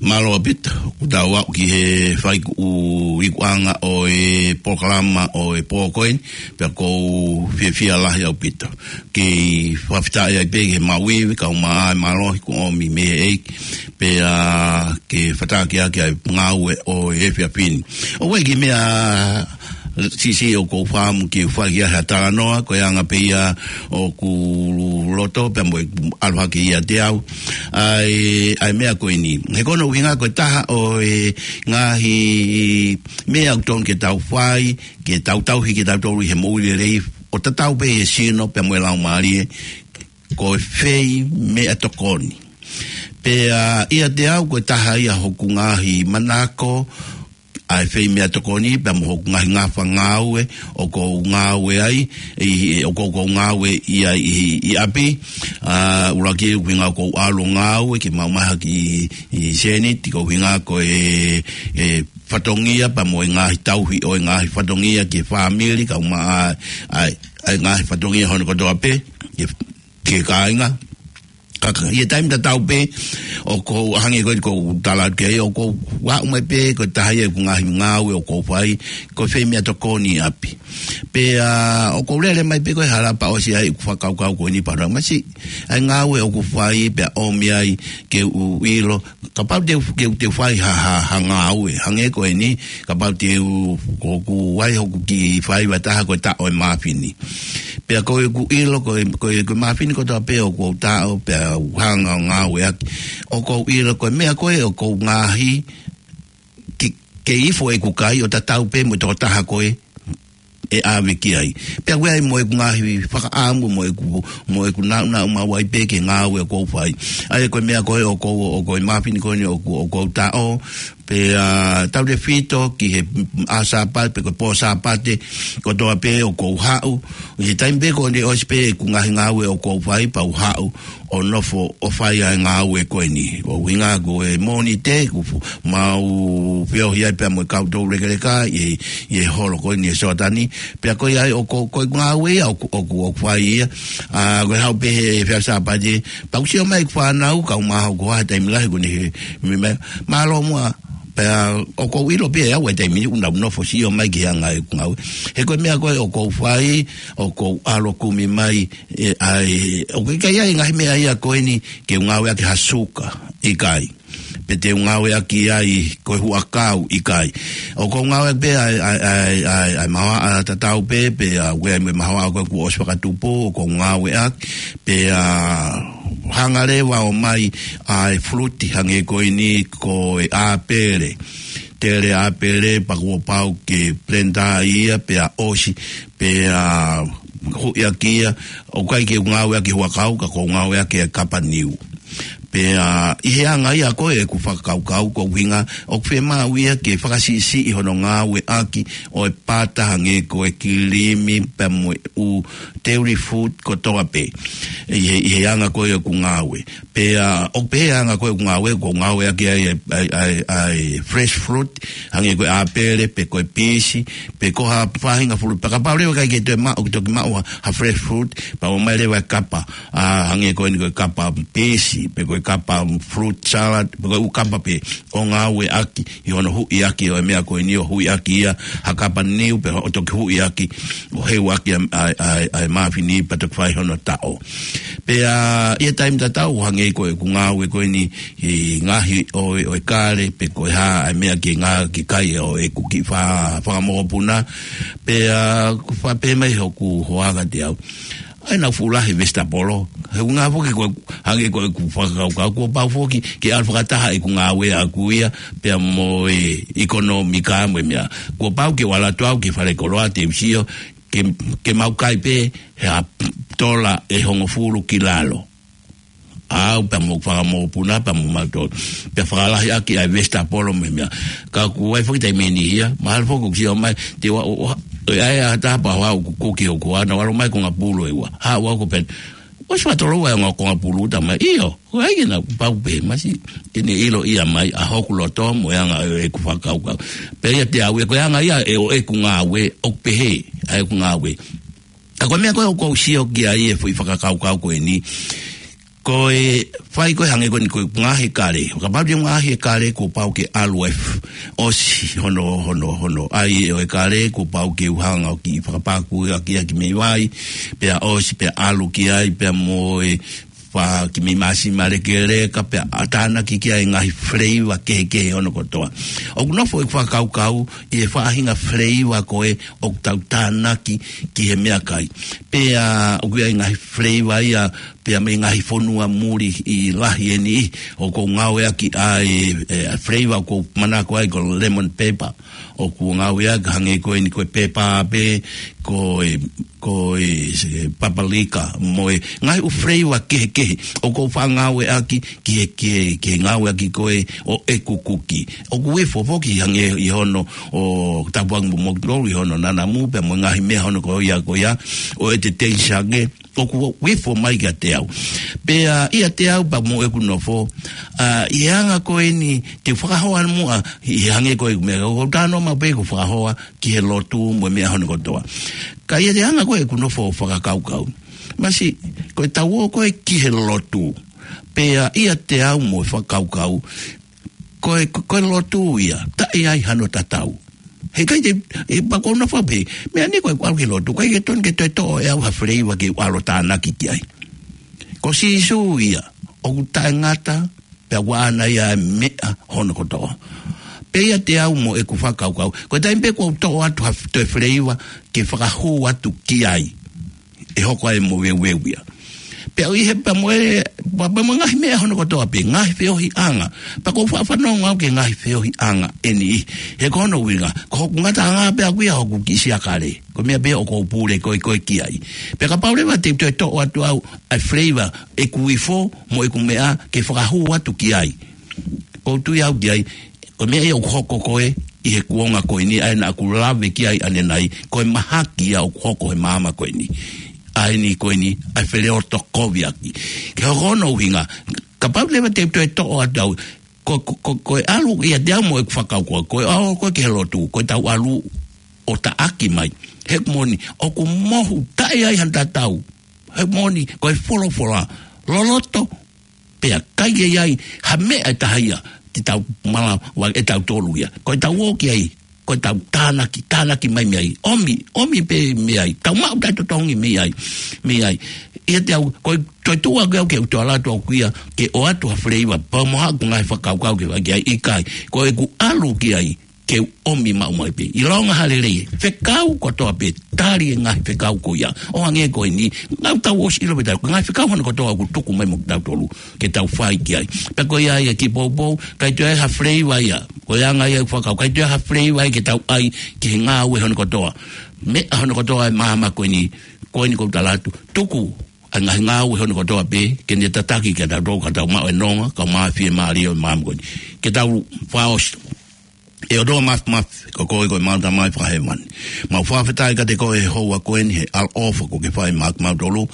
Mālō ʻaupito, ʻoku tau aʻu ki he fai ʻuhí ʻo e ikuʻanga ʻo e polokalama ʻo e pō ko eni, pea ʻoku ou fiefia lahi ʻaupito. Kei fakafetaʻi ai pē ki he maʻu ivi, kau mai ʻa e mālohi kuo ʻomi mei he ʻEiki, pea ke fetakiaki ʻa e ngāue ʻo e efiafi ni. ʻOku ʻi ai e kiʻi meʻa siʻisiʻi ʻoku ou fakaʻamu ke u fai ki ai ha talanoa, ko e anga pē ia ʻoku loto pea mo e ʻalu hake ʻiate au. ʻA e, ʻa e meʻa ko eni. He ko hono ʻuhinga ko e taha ʻo e ngaahi meʻa ʻoku totonu ke tau fai, ke tau tauhi kitautolu ʻi he moʻui lelei, ʻo tatau pē he sino pea mo e laumālie, ko e fai meʻatokoni. Pea ʻiate au ko e taha ia hoku ngaahi manako, ʻa e fai meʻatokoni, pea mo hoku ngaahi ngafa ngāue, ʻoku ou ngāue ai, ʻi, ʻoku ou, ʻoku ou ngāue ʻi ai ʻi, ʻi ʻapi, ʻa, ʻuluaki ʻuhinga ʻoku ou ʻalu ʻo ngāue, ke maʻu mai ha kiʻi, ʻi seniti, ko e ʻuhinga ko e, e fatongia, pea mo e ngaahi tauhi ʻo e ngaahi fatongia ki he fāmili, kau mai ʻa, ʻa, ʻa e ngaahi fatongia hono kotoa pē, ki he, ki he kāinga. Ka, ka, ʻi he taimi tatau pē, ʻoku ou hangē ko e ʻoku ou tala atu ki ai, ʻoku ou aʻu mai pē, ko e taha ia ʻeku ngaahi ngāue ʻoku ou fai, ko e fai meʻatokoni ʻi ʻapi. Pea, ʻoku ou lele mai pē ko e hala pea ʻosi ai ʻeku fakakaukau ko eni pea ʻalu mai siʻi, ʻa e ngāue ʻoku ou fai, pea ʻomi ai ke u ʻilo, kapau te u, ke u, te u fai ha, ha, ha ngāue, hangē ko eni, kapau te u, ko ʻeku ʻai hoku kiʻi faiva ʻe taha ko e taʻo e māfini. Pea ko ʻeku ʻilo, ko e, ko e, ko e māfini kotoa pē ʻoku ou taʻo, pea u hanga ʻo ngāueʻaki. ʻOku ou ʻilo ko e meʻa ko ē ʻoku ou ngaohi, ke, ke ifo ʻeku kai ʻo tatau pē mo e tokotaha ko ē ʻe ʻave ki ai. Pea ʻoku ʻi ai mo ʻeku ngaahi fakaʻamu, mo ʻeku, mo ʻeku naʻunaʻu maʻu ai pē ki he ngāue ʻoku ou fai. ʻA ia ko e meʻa ko ē ʻoku ou, ʻoku ou, ko e māfini ko eni ʻoku, ʻoku ou taʻo, pea, ʻa, tautefito ki he ʻaho Sāpate, pe ko e pō Sāpate, kotoa pē ʻoku ou haʻu. ʻI he taimi pē ko eni ʻosi pē ʻeku ngaahi ngāue ʻoku ou fai pea u haʻu ʻo nofo ʻo fai ʻa e ngāue ko eni. Ko e ʻuhinga ko e Mōnite, ʻoku fu-, mau feohi ai pea mo e kau toulekeleka ʻi, ʻi he holo ko eni ʻi Soatani. Pea ko ia ai ʻoku, ko e ngāue ia ʻoku, ʻoku, ʻoku fai ia. ʻA, ko e haʻu pē he, he efiafi Sāpate, pea u sio mai ki he fānau, kau mai ʻoku ʻi ai ha taimi lahi ʻoku ne he, me, me, mālō muʻa, pea ʻoku ou ʻilo pē ʻe au ʻa e taimi ni ʻoku nau nofo sio mai ki he anga ʻeku ngāue. He ko e meʻa ko ē ʻoku ou fai, ʻoku ou ʻalu ʻo kumi mai, ʻe, ʻa e, ʻoku ʻikai ʻi ai e ngaahi meʻa ia ko eni ke u ngāueʻaki ha suka, ʻikai. Pe te u ngāueʻaki ai ko e huʻakau, ʻikai. ʻOku ou ngāueʻaki pē ʻa e, ʻa e, ʻa e, ʻa e, ʻa e mahoaʻa tatau pē, pea ʻoku ʻi ai mo e mahoaʻa ko ē kuo ʻosi fakatupu, ʻoku ou ngāueʻaki, pea hanga leva ʻo ʻomai ʻa e fuluti hangē ko eni ko e ʻāpele. Tele ʻāpele pea kuo pau ke blender ia pea ʻosi, pea huʻiʻaki ia, ʻoku ʻikai ke u ngāueʻaki huʻakau, ka ʻoku ou ngāueʻaki e kapa niu. Pea ʻi he anga ia ko ē ʻeku fakakaukau, ko e ʻuhinga ʻoku fiemaʻu ia ke fakasiʻisiʻi hono ngāueʻaki ʻo e pata hangē ko e kilimi pea mo e ʻū dairy food kotoa pē. ʻI he, ʻi he anga ko ē ʻeku ngāue. Pea ʻoku pehē ʻa e anga ko ē ʻeku ngāue, ʻoku ou ngāueʻaki ai ʻa e, ʻa e, ʻa e, ʻa e fresh fruit, hangē ko e ʻāpele, pe ko e pisi, pe ko ha faʻahinga fuluti. Pea kapau leva ʻoku ʻikai ke toe maʻu, ʻoku toki maʻu ha, ha fresh fruit, pea ʻomai leva e kapa, ʻa, hangē ko eni ko e kapa pisi, pe ko e kapa fruit salad, pe ko e ʻū kapa pē ʻo ngāueʻaki ʻi hono huʻiʻaki ʻo e meʻa ko eni, ʻo huʻiʻaki ia ha kapa niu pē ʻo toki huʻiʻaki ʻo heuʻaki ʻa, ʻa, ʻa, ʻa e māfini pea toki fai hono taʻo. Pea ʻi he taimi tatau hangē ko ʻeku ngāue ko eni ʻi he ngaohi ʻo, ʻo e kale pe ko e hā ʻa e meʻa ke ngā ke kai ʻo ʻeku kiʻi fa-, fanga mokopuna. Pea ʻoku faʻa pehē mai hoku hoa kiate au, ʻai naʻa fuʻu lahi e vesitapolo. He ʻuhinga foki ko e, hangē ko ʻeku fakakaukau, kuo pau foki ke ʻalu fakataha ʻeku ngāue ʻaʻaku ia pea mo e ʻekonōmika mo e meʻa. Kuo pau ke u ʻalu atu au ki falekoloa te u sio ke, ke mau kai pē he ʻa tola ʻe hongofulu ki lalo. Au pea mo e fanga mokopuna pea mo mautolu. Pea fakalahi ʻaki ʻa e vesitapolo mo e meʻa. Ka kuo ʻai foki taimi ʻe niʻihi ia, mahalo foki ʻoku sio mai, te ua, ʻo, ʻo, ʻe ʻai ha taha pea hoa ʻoku koki hoku hoa, naʻa ʻalu mai kongapulu ʻe ua. Ha ua ko pē. ʻOsi fakatolou ʻa e ongo kongapulu, talamai, ʻio, ko hai ke na pau pē, masi, ke ne ʻiloʻi mai ʻa hoku loto mo e anga ʻo ʻeku fakakaukau. Pea ʻiate au ia, ko e anga ia ʻe ʻo ʻeku ngāue, ʻoku pehē ʻa ʻeku ngāue. Ka ko e meʻa ko ē ʻoku ou sio ki ai e foʻi fakakaukau ko eni, ko e fai ko ē hangē ko eni ko e ngaahi kale. Kapau te u ngaahi e kale kuo pau ke ʻalu e f-, ʻosi hono, hono, hono ʻai ʻo e kale, kuo pau ke u hanga ʻo kiʻi fakapakuʻaki ʻaki mei vai, pea ʻosi, pea ʻalu ki ai, pea mo e fā kiʻi meʻi māsima lekeleka, pea ʻa tānaki ki ai e ngaahi flavor kehekehe hono kotoa. ʻOku nofo ʻeku fakakaukau ʻi he faʻahinga flavor ko ē ʻoku tau tānaki ki he meʻakai. Pea ʻoku ʻi ai e ngaahi flavor ia, pea mei he ngaahi fonua muli ʻi lahi eni, ʻoku ou ngāueʻaki ʻa e, e, flavor ʻoku ou manako ai ko e lemon pepper. ʻOku ou ngāueʻaki hangē ko eni ko e pepa pē, ko e, ko e, se, papalika, mo e ngaahi ʻū flavor kehekehe. ʻOku ou faʻa ngāueʻaki ki he, ki he, ki he ngāueʻaki ko ē ʻo ʻeku kuki. ʻOku ifo foki hangē ʻi hono ʻo tapuangi mo moutolu ʻi hono nanamu, pea mo e ngaahi meʻa hono ko ia, ko ia, ʻo e te teisake, ʻoku ifo mai kiate au. Pea ʻiate au pea mo ʻeku nofo, ʻa, ʻi he anga ko eni, te u fakahoa muʻa, ʻi he hangē ko ʻeku meʻa, ʻoku ou talanoa maʻu pē ʻeku fakahoa ki he lotu mo e meʻa hono kotoa. Ka ʻi he anga ko ē ʻeku nofo ʻo fakakaukau. Masi, ko e tau ō ko ē ki he lotu. Pea ʻiate au mo e fakakaukau, ko e, ko e lotu ia, taʻe ʻi ai hano tatau. He ʻikai te, ʻe pea ʻoku ou nofo pē, meʻa ni ko ʻeku ʻalu ki he lotu, ʻikai ke tonu ke toe toʻo ʻe au ha flavor ke u ʻalu ʻo tānaki ki ai. Ko Sīsū ia, ʻoku taʻengata, pea ʻoku ʻaʻana ia e meʻa hono kotoa. Pea ʻiate au mo ʻeku fakakaukau, ko e taimi pē ʻoku ou toʻo atu ha f-, toe flavor ke fakahū atu ki ai, ʻe hoko ai e moveuveu ia. Pea ʻi he pea mo e, pea, pea mo e ngaahi meʻa hono kotoa pē, ngaahi feohiʻanga. Pea ʻoku ou faʻa fanongo au ki he ngaahi feohiʻanga eni. He ko hono ʻuhinga, ko hoku ngataʻanga pē ʻaʻaku ia hoku kiʻi siakale. Ko e meʻa pē ʻoku ou pule ko ē, ko ē ki ai. Pea kapau leva te u toe toʻo atu au ʻa e flavor ʻeku ifo mo ʻeku meʻa ke fakahū atu ki ai, ʻoku ou tui au ki ai, ko e meʻa ia ʻoku hoko ko ē ʻi he kuonga ko eni, ʻa ē naʻa ku lave ki ai ʻanenai, ko e mahaki ia ʻoku hoko he māmani ko eni. ʻA eni ko eni, ʻa e feleotokoviʻaki. Ke hoko hono ʻuhinga, kapau leva te u toe toʻo atu au, ko, ko, ko, ko e ʻalu ʻiate au mo ʻeku fakakaukau, ko e ʻalu ko ē ki he lotu, ko e tau ʻalu ʻo taʻaki mai. He moʻoni, ʻoku mohu taʻe ʻi ai hano tatau. He moʻoni, ko e folofola, loloto, pea ʻikai ke ʻi ai ha meʻa ʻe taha ia te tau mala, ʻa ʻe tautolu ia. Ko e tau ō ki ai, ko e tau tānaki, tānaki mai mei ai. ʻOmi, ʻomi pē mei ai. Tau maʻu taʻetotongi mei ai, mei ai. ʻIate au, ko e toe tuʻu ʻaʻaku ia ke u toe ʻalu atu ʻaʻaku ia, ke ʻoatu ha flavor, pea mo haʻaku ngaahi fakakaukau ke fai ki ai, ʻikai. Ko ʻeku ʻalu ki ai, ke u ʻomi maʻu mai pē. ʻIlonga ha lelei, fekau kotoa pē, tali e ngaahi fekau ko ia. ʻO hangē ko eni, naʻa tau ʻosi ʻilo pē ʻe tautolu, ngaahi fekau hono kotoa ʻoku tuku mai mo kitautolu ke tau fai ki ai. Pea ko ia ia ki poupou, ʻikai toe ʻi ai ha flavor ia. Ko e anga ia ʻeku fakakaukau, ʻikai toe ʻi ai ha flavor ia ke tau ʻai ki he ngāue hono kotoa. Meʻa hono kotoa ʻi māmani ko eni, ko eni ʻoku ou tala atu, tuku ʻa e ngaahi ngāue hono kotoa pē, ke ne tataki kiate kitautolu ka tau maʻu e nonga, kae maʻu e fiemālie ʻo e māmani ko eni. Ke tau fakaʻosi. ʻE ʻOtua Māfimafi, ko koe ko ʻemau Tamai Fakahēvani. Mau fakafetaʻi kiate koe he houa ko eni, he ʻaloʻofa kuo ke fai maʻa kimautolu.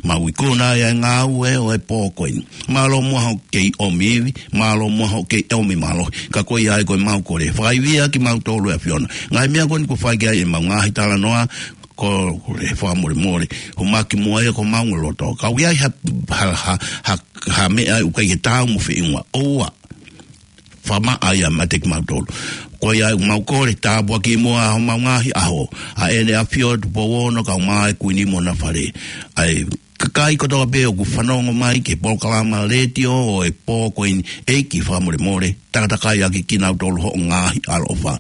Mau ikuna ʻa e ngāue ʻo e pō ko eni. Mālō muʻa hoʻo kei ʻomi ivi, mālō muʻa hoʻo kei ʻomi mālohi. Ka ko ia ai ko ʻemau kole, fakaivia kimautolu ʻe ʻAfiona. Ngaahi meʻa ko eni kuo fai ki ai ʻemau ngaahi talanoa, ko e fakamolemole, ʻomai ki muʻa ia ko homau loto. Ka ʻoku ʻi ai ha, ha, ha, ha, ha meʻa ʻoku ʻikai ke taau mo e feʻunga. ʻOua. Fakamaʻa ia meiate kimautolu. Ko ia ʻoku mau kole, tāpuakiʻi muʻa homau ngaahi ʻaho. ʻA ʻEne ʻAfio, Tupou Ono, kae ʻumaʻā e Kuini mo hona fale. ʻA e kakai kotoa pē ʻoku fanongo mai ki he polokalama letiō ʻo e pō ko eni, ʻEiki fakamolemole, takatakai ʻaki kinautolu hoʻo ngaahi ʻaloʻofa.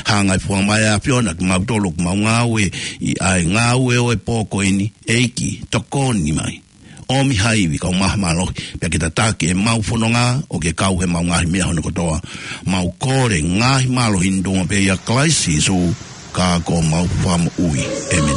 Hanga ʻe he Fakamoʻui ʻa e ʻAfiona kiate kimautolu ʻoku mau ngāue ʻi he ngāue ʻo e pō ko eni, ʻEiki, tokoni mai. ʻOmi ha ivi kae ʻumaʻā ha mālohi, pea ke tataki ʻemau fononga ʻo ke kau heʻemau ngaahi meʻa hono kotoa. Mau kole ngaahi mālohi ni ʻi he huafa pē ʻo Kalaisi Sīsū, ka ko homau Fakamoʻui. ʻĒmeni.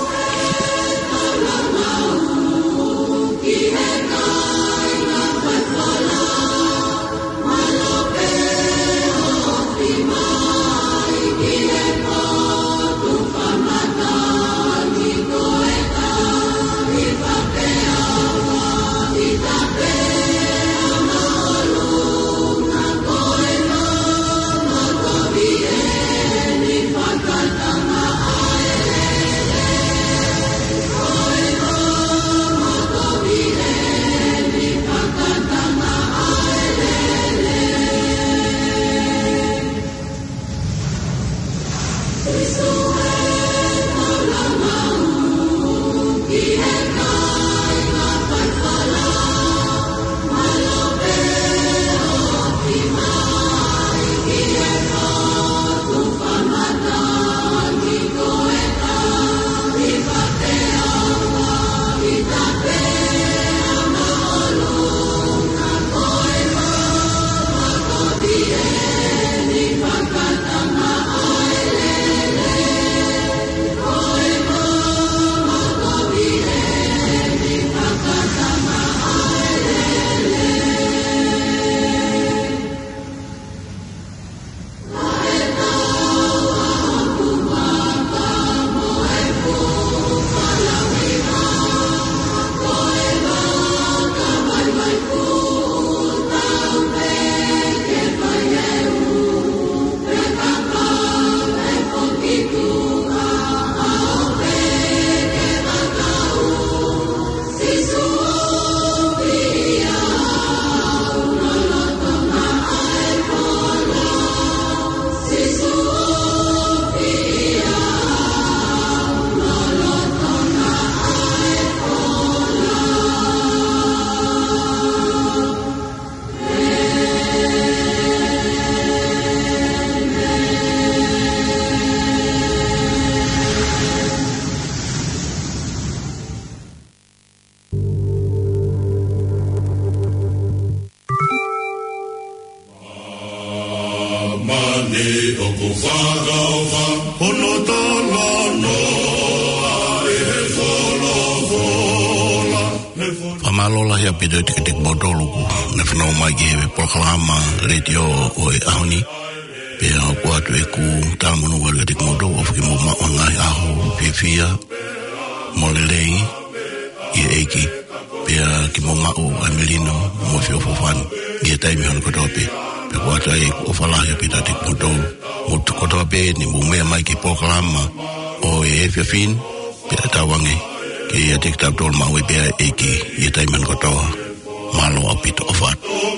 Mani ʻoku fakaʻofa, hono talanoa ʻi he folofola. Fakamālō lahi ʻaupito kiate kimoutolu ʻoku ne fanongo mai ki he polokalama letiō ʻo e ʻaho ni. Pea ʻoku ʻoatu ʻeku talamonū atu kiate kimoutolu, ʻofa ke mou maʻu ha ngaahi ʻaho fiefia mo lelei ʻi he ʻEiki. Pea ke mou maʻu ʻa e melino mo e feʻofoʻofani ʻi he taimi hono kotoa pē. Pea ʻoku ʻoatu ai ʻeku ʻofa lahi ʻaupito kiate kimoutolu. Mou tuku kotoa pē ʻeni mou meʻa mai ki he polokalama ʻo e efiafi ni, pea tauange ke ʻiate kitautolu maʻu ai pē ʻa e ʻEiki ʻi he taimi hono kotoa. Mālō ʻaupito, ʻofa atu.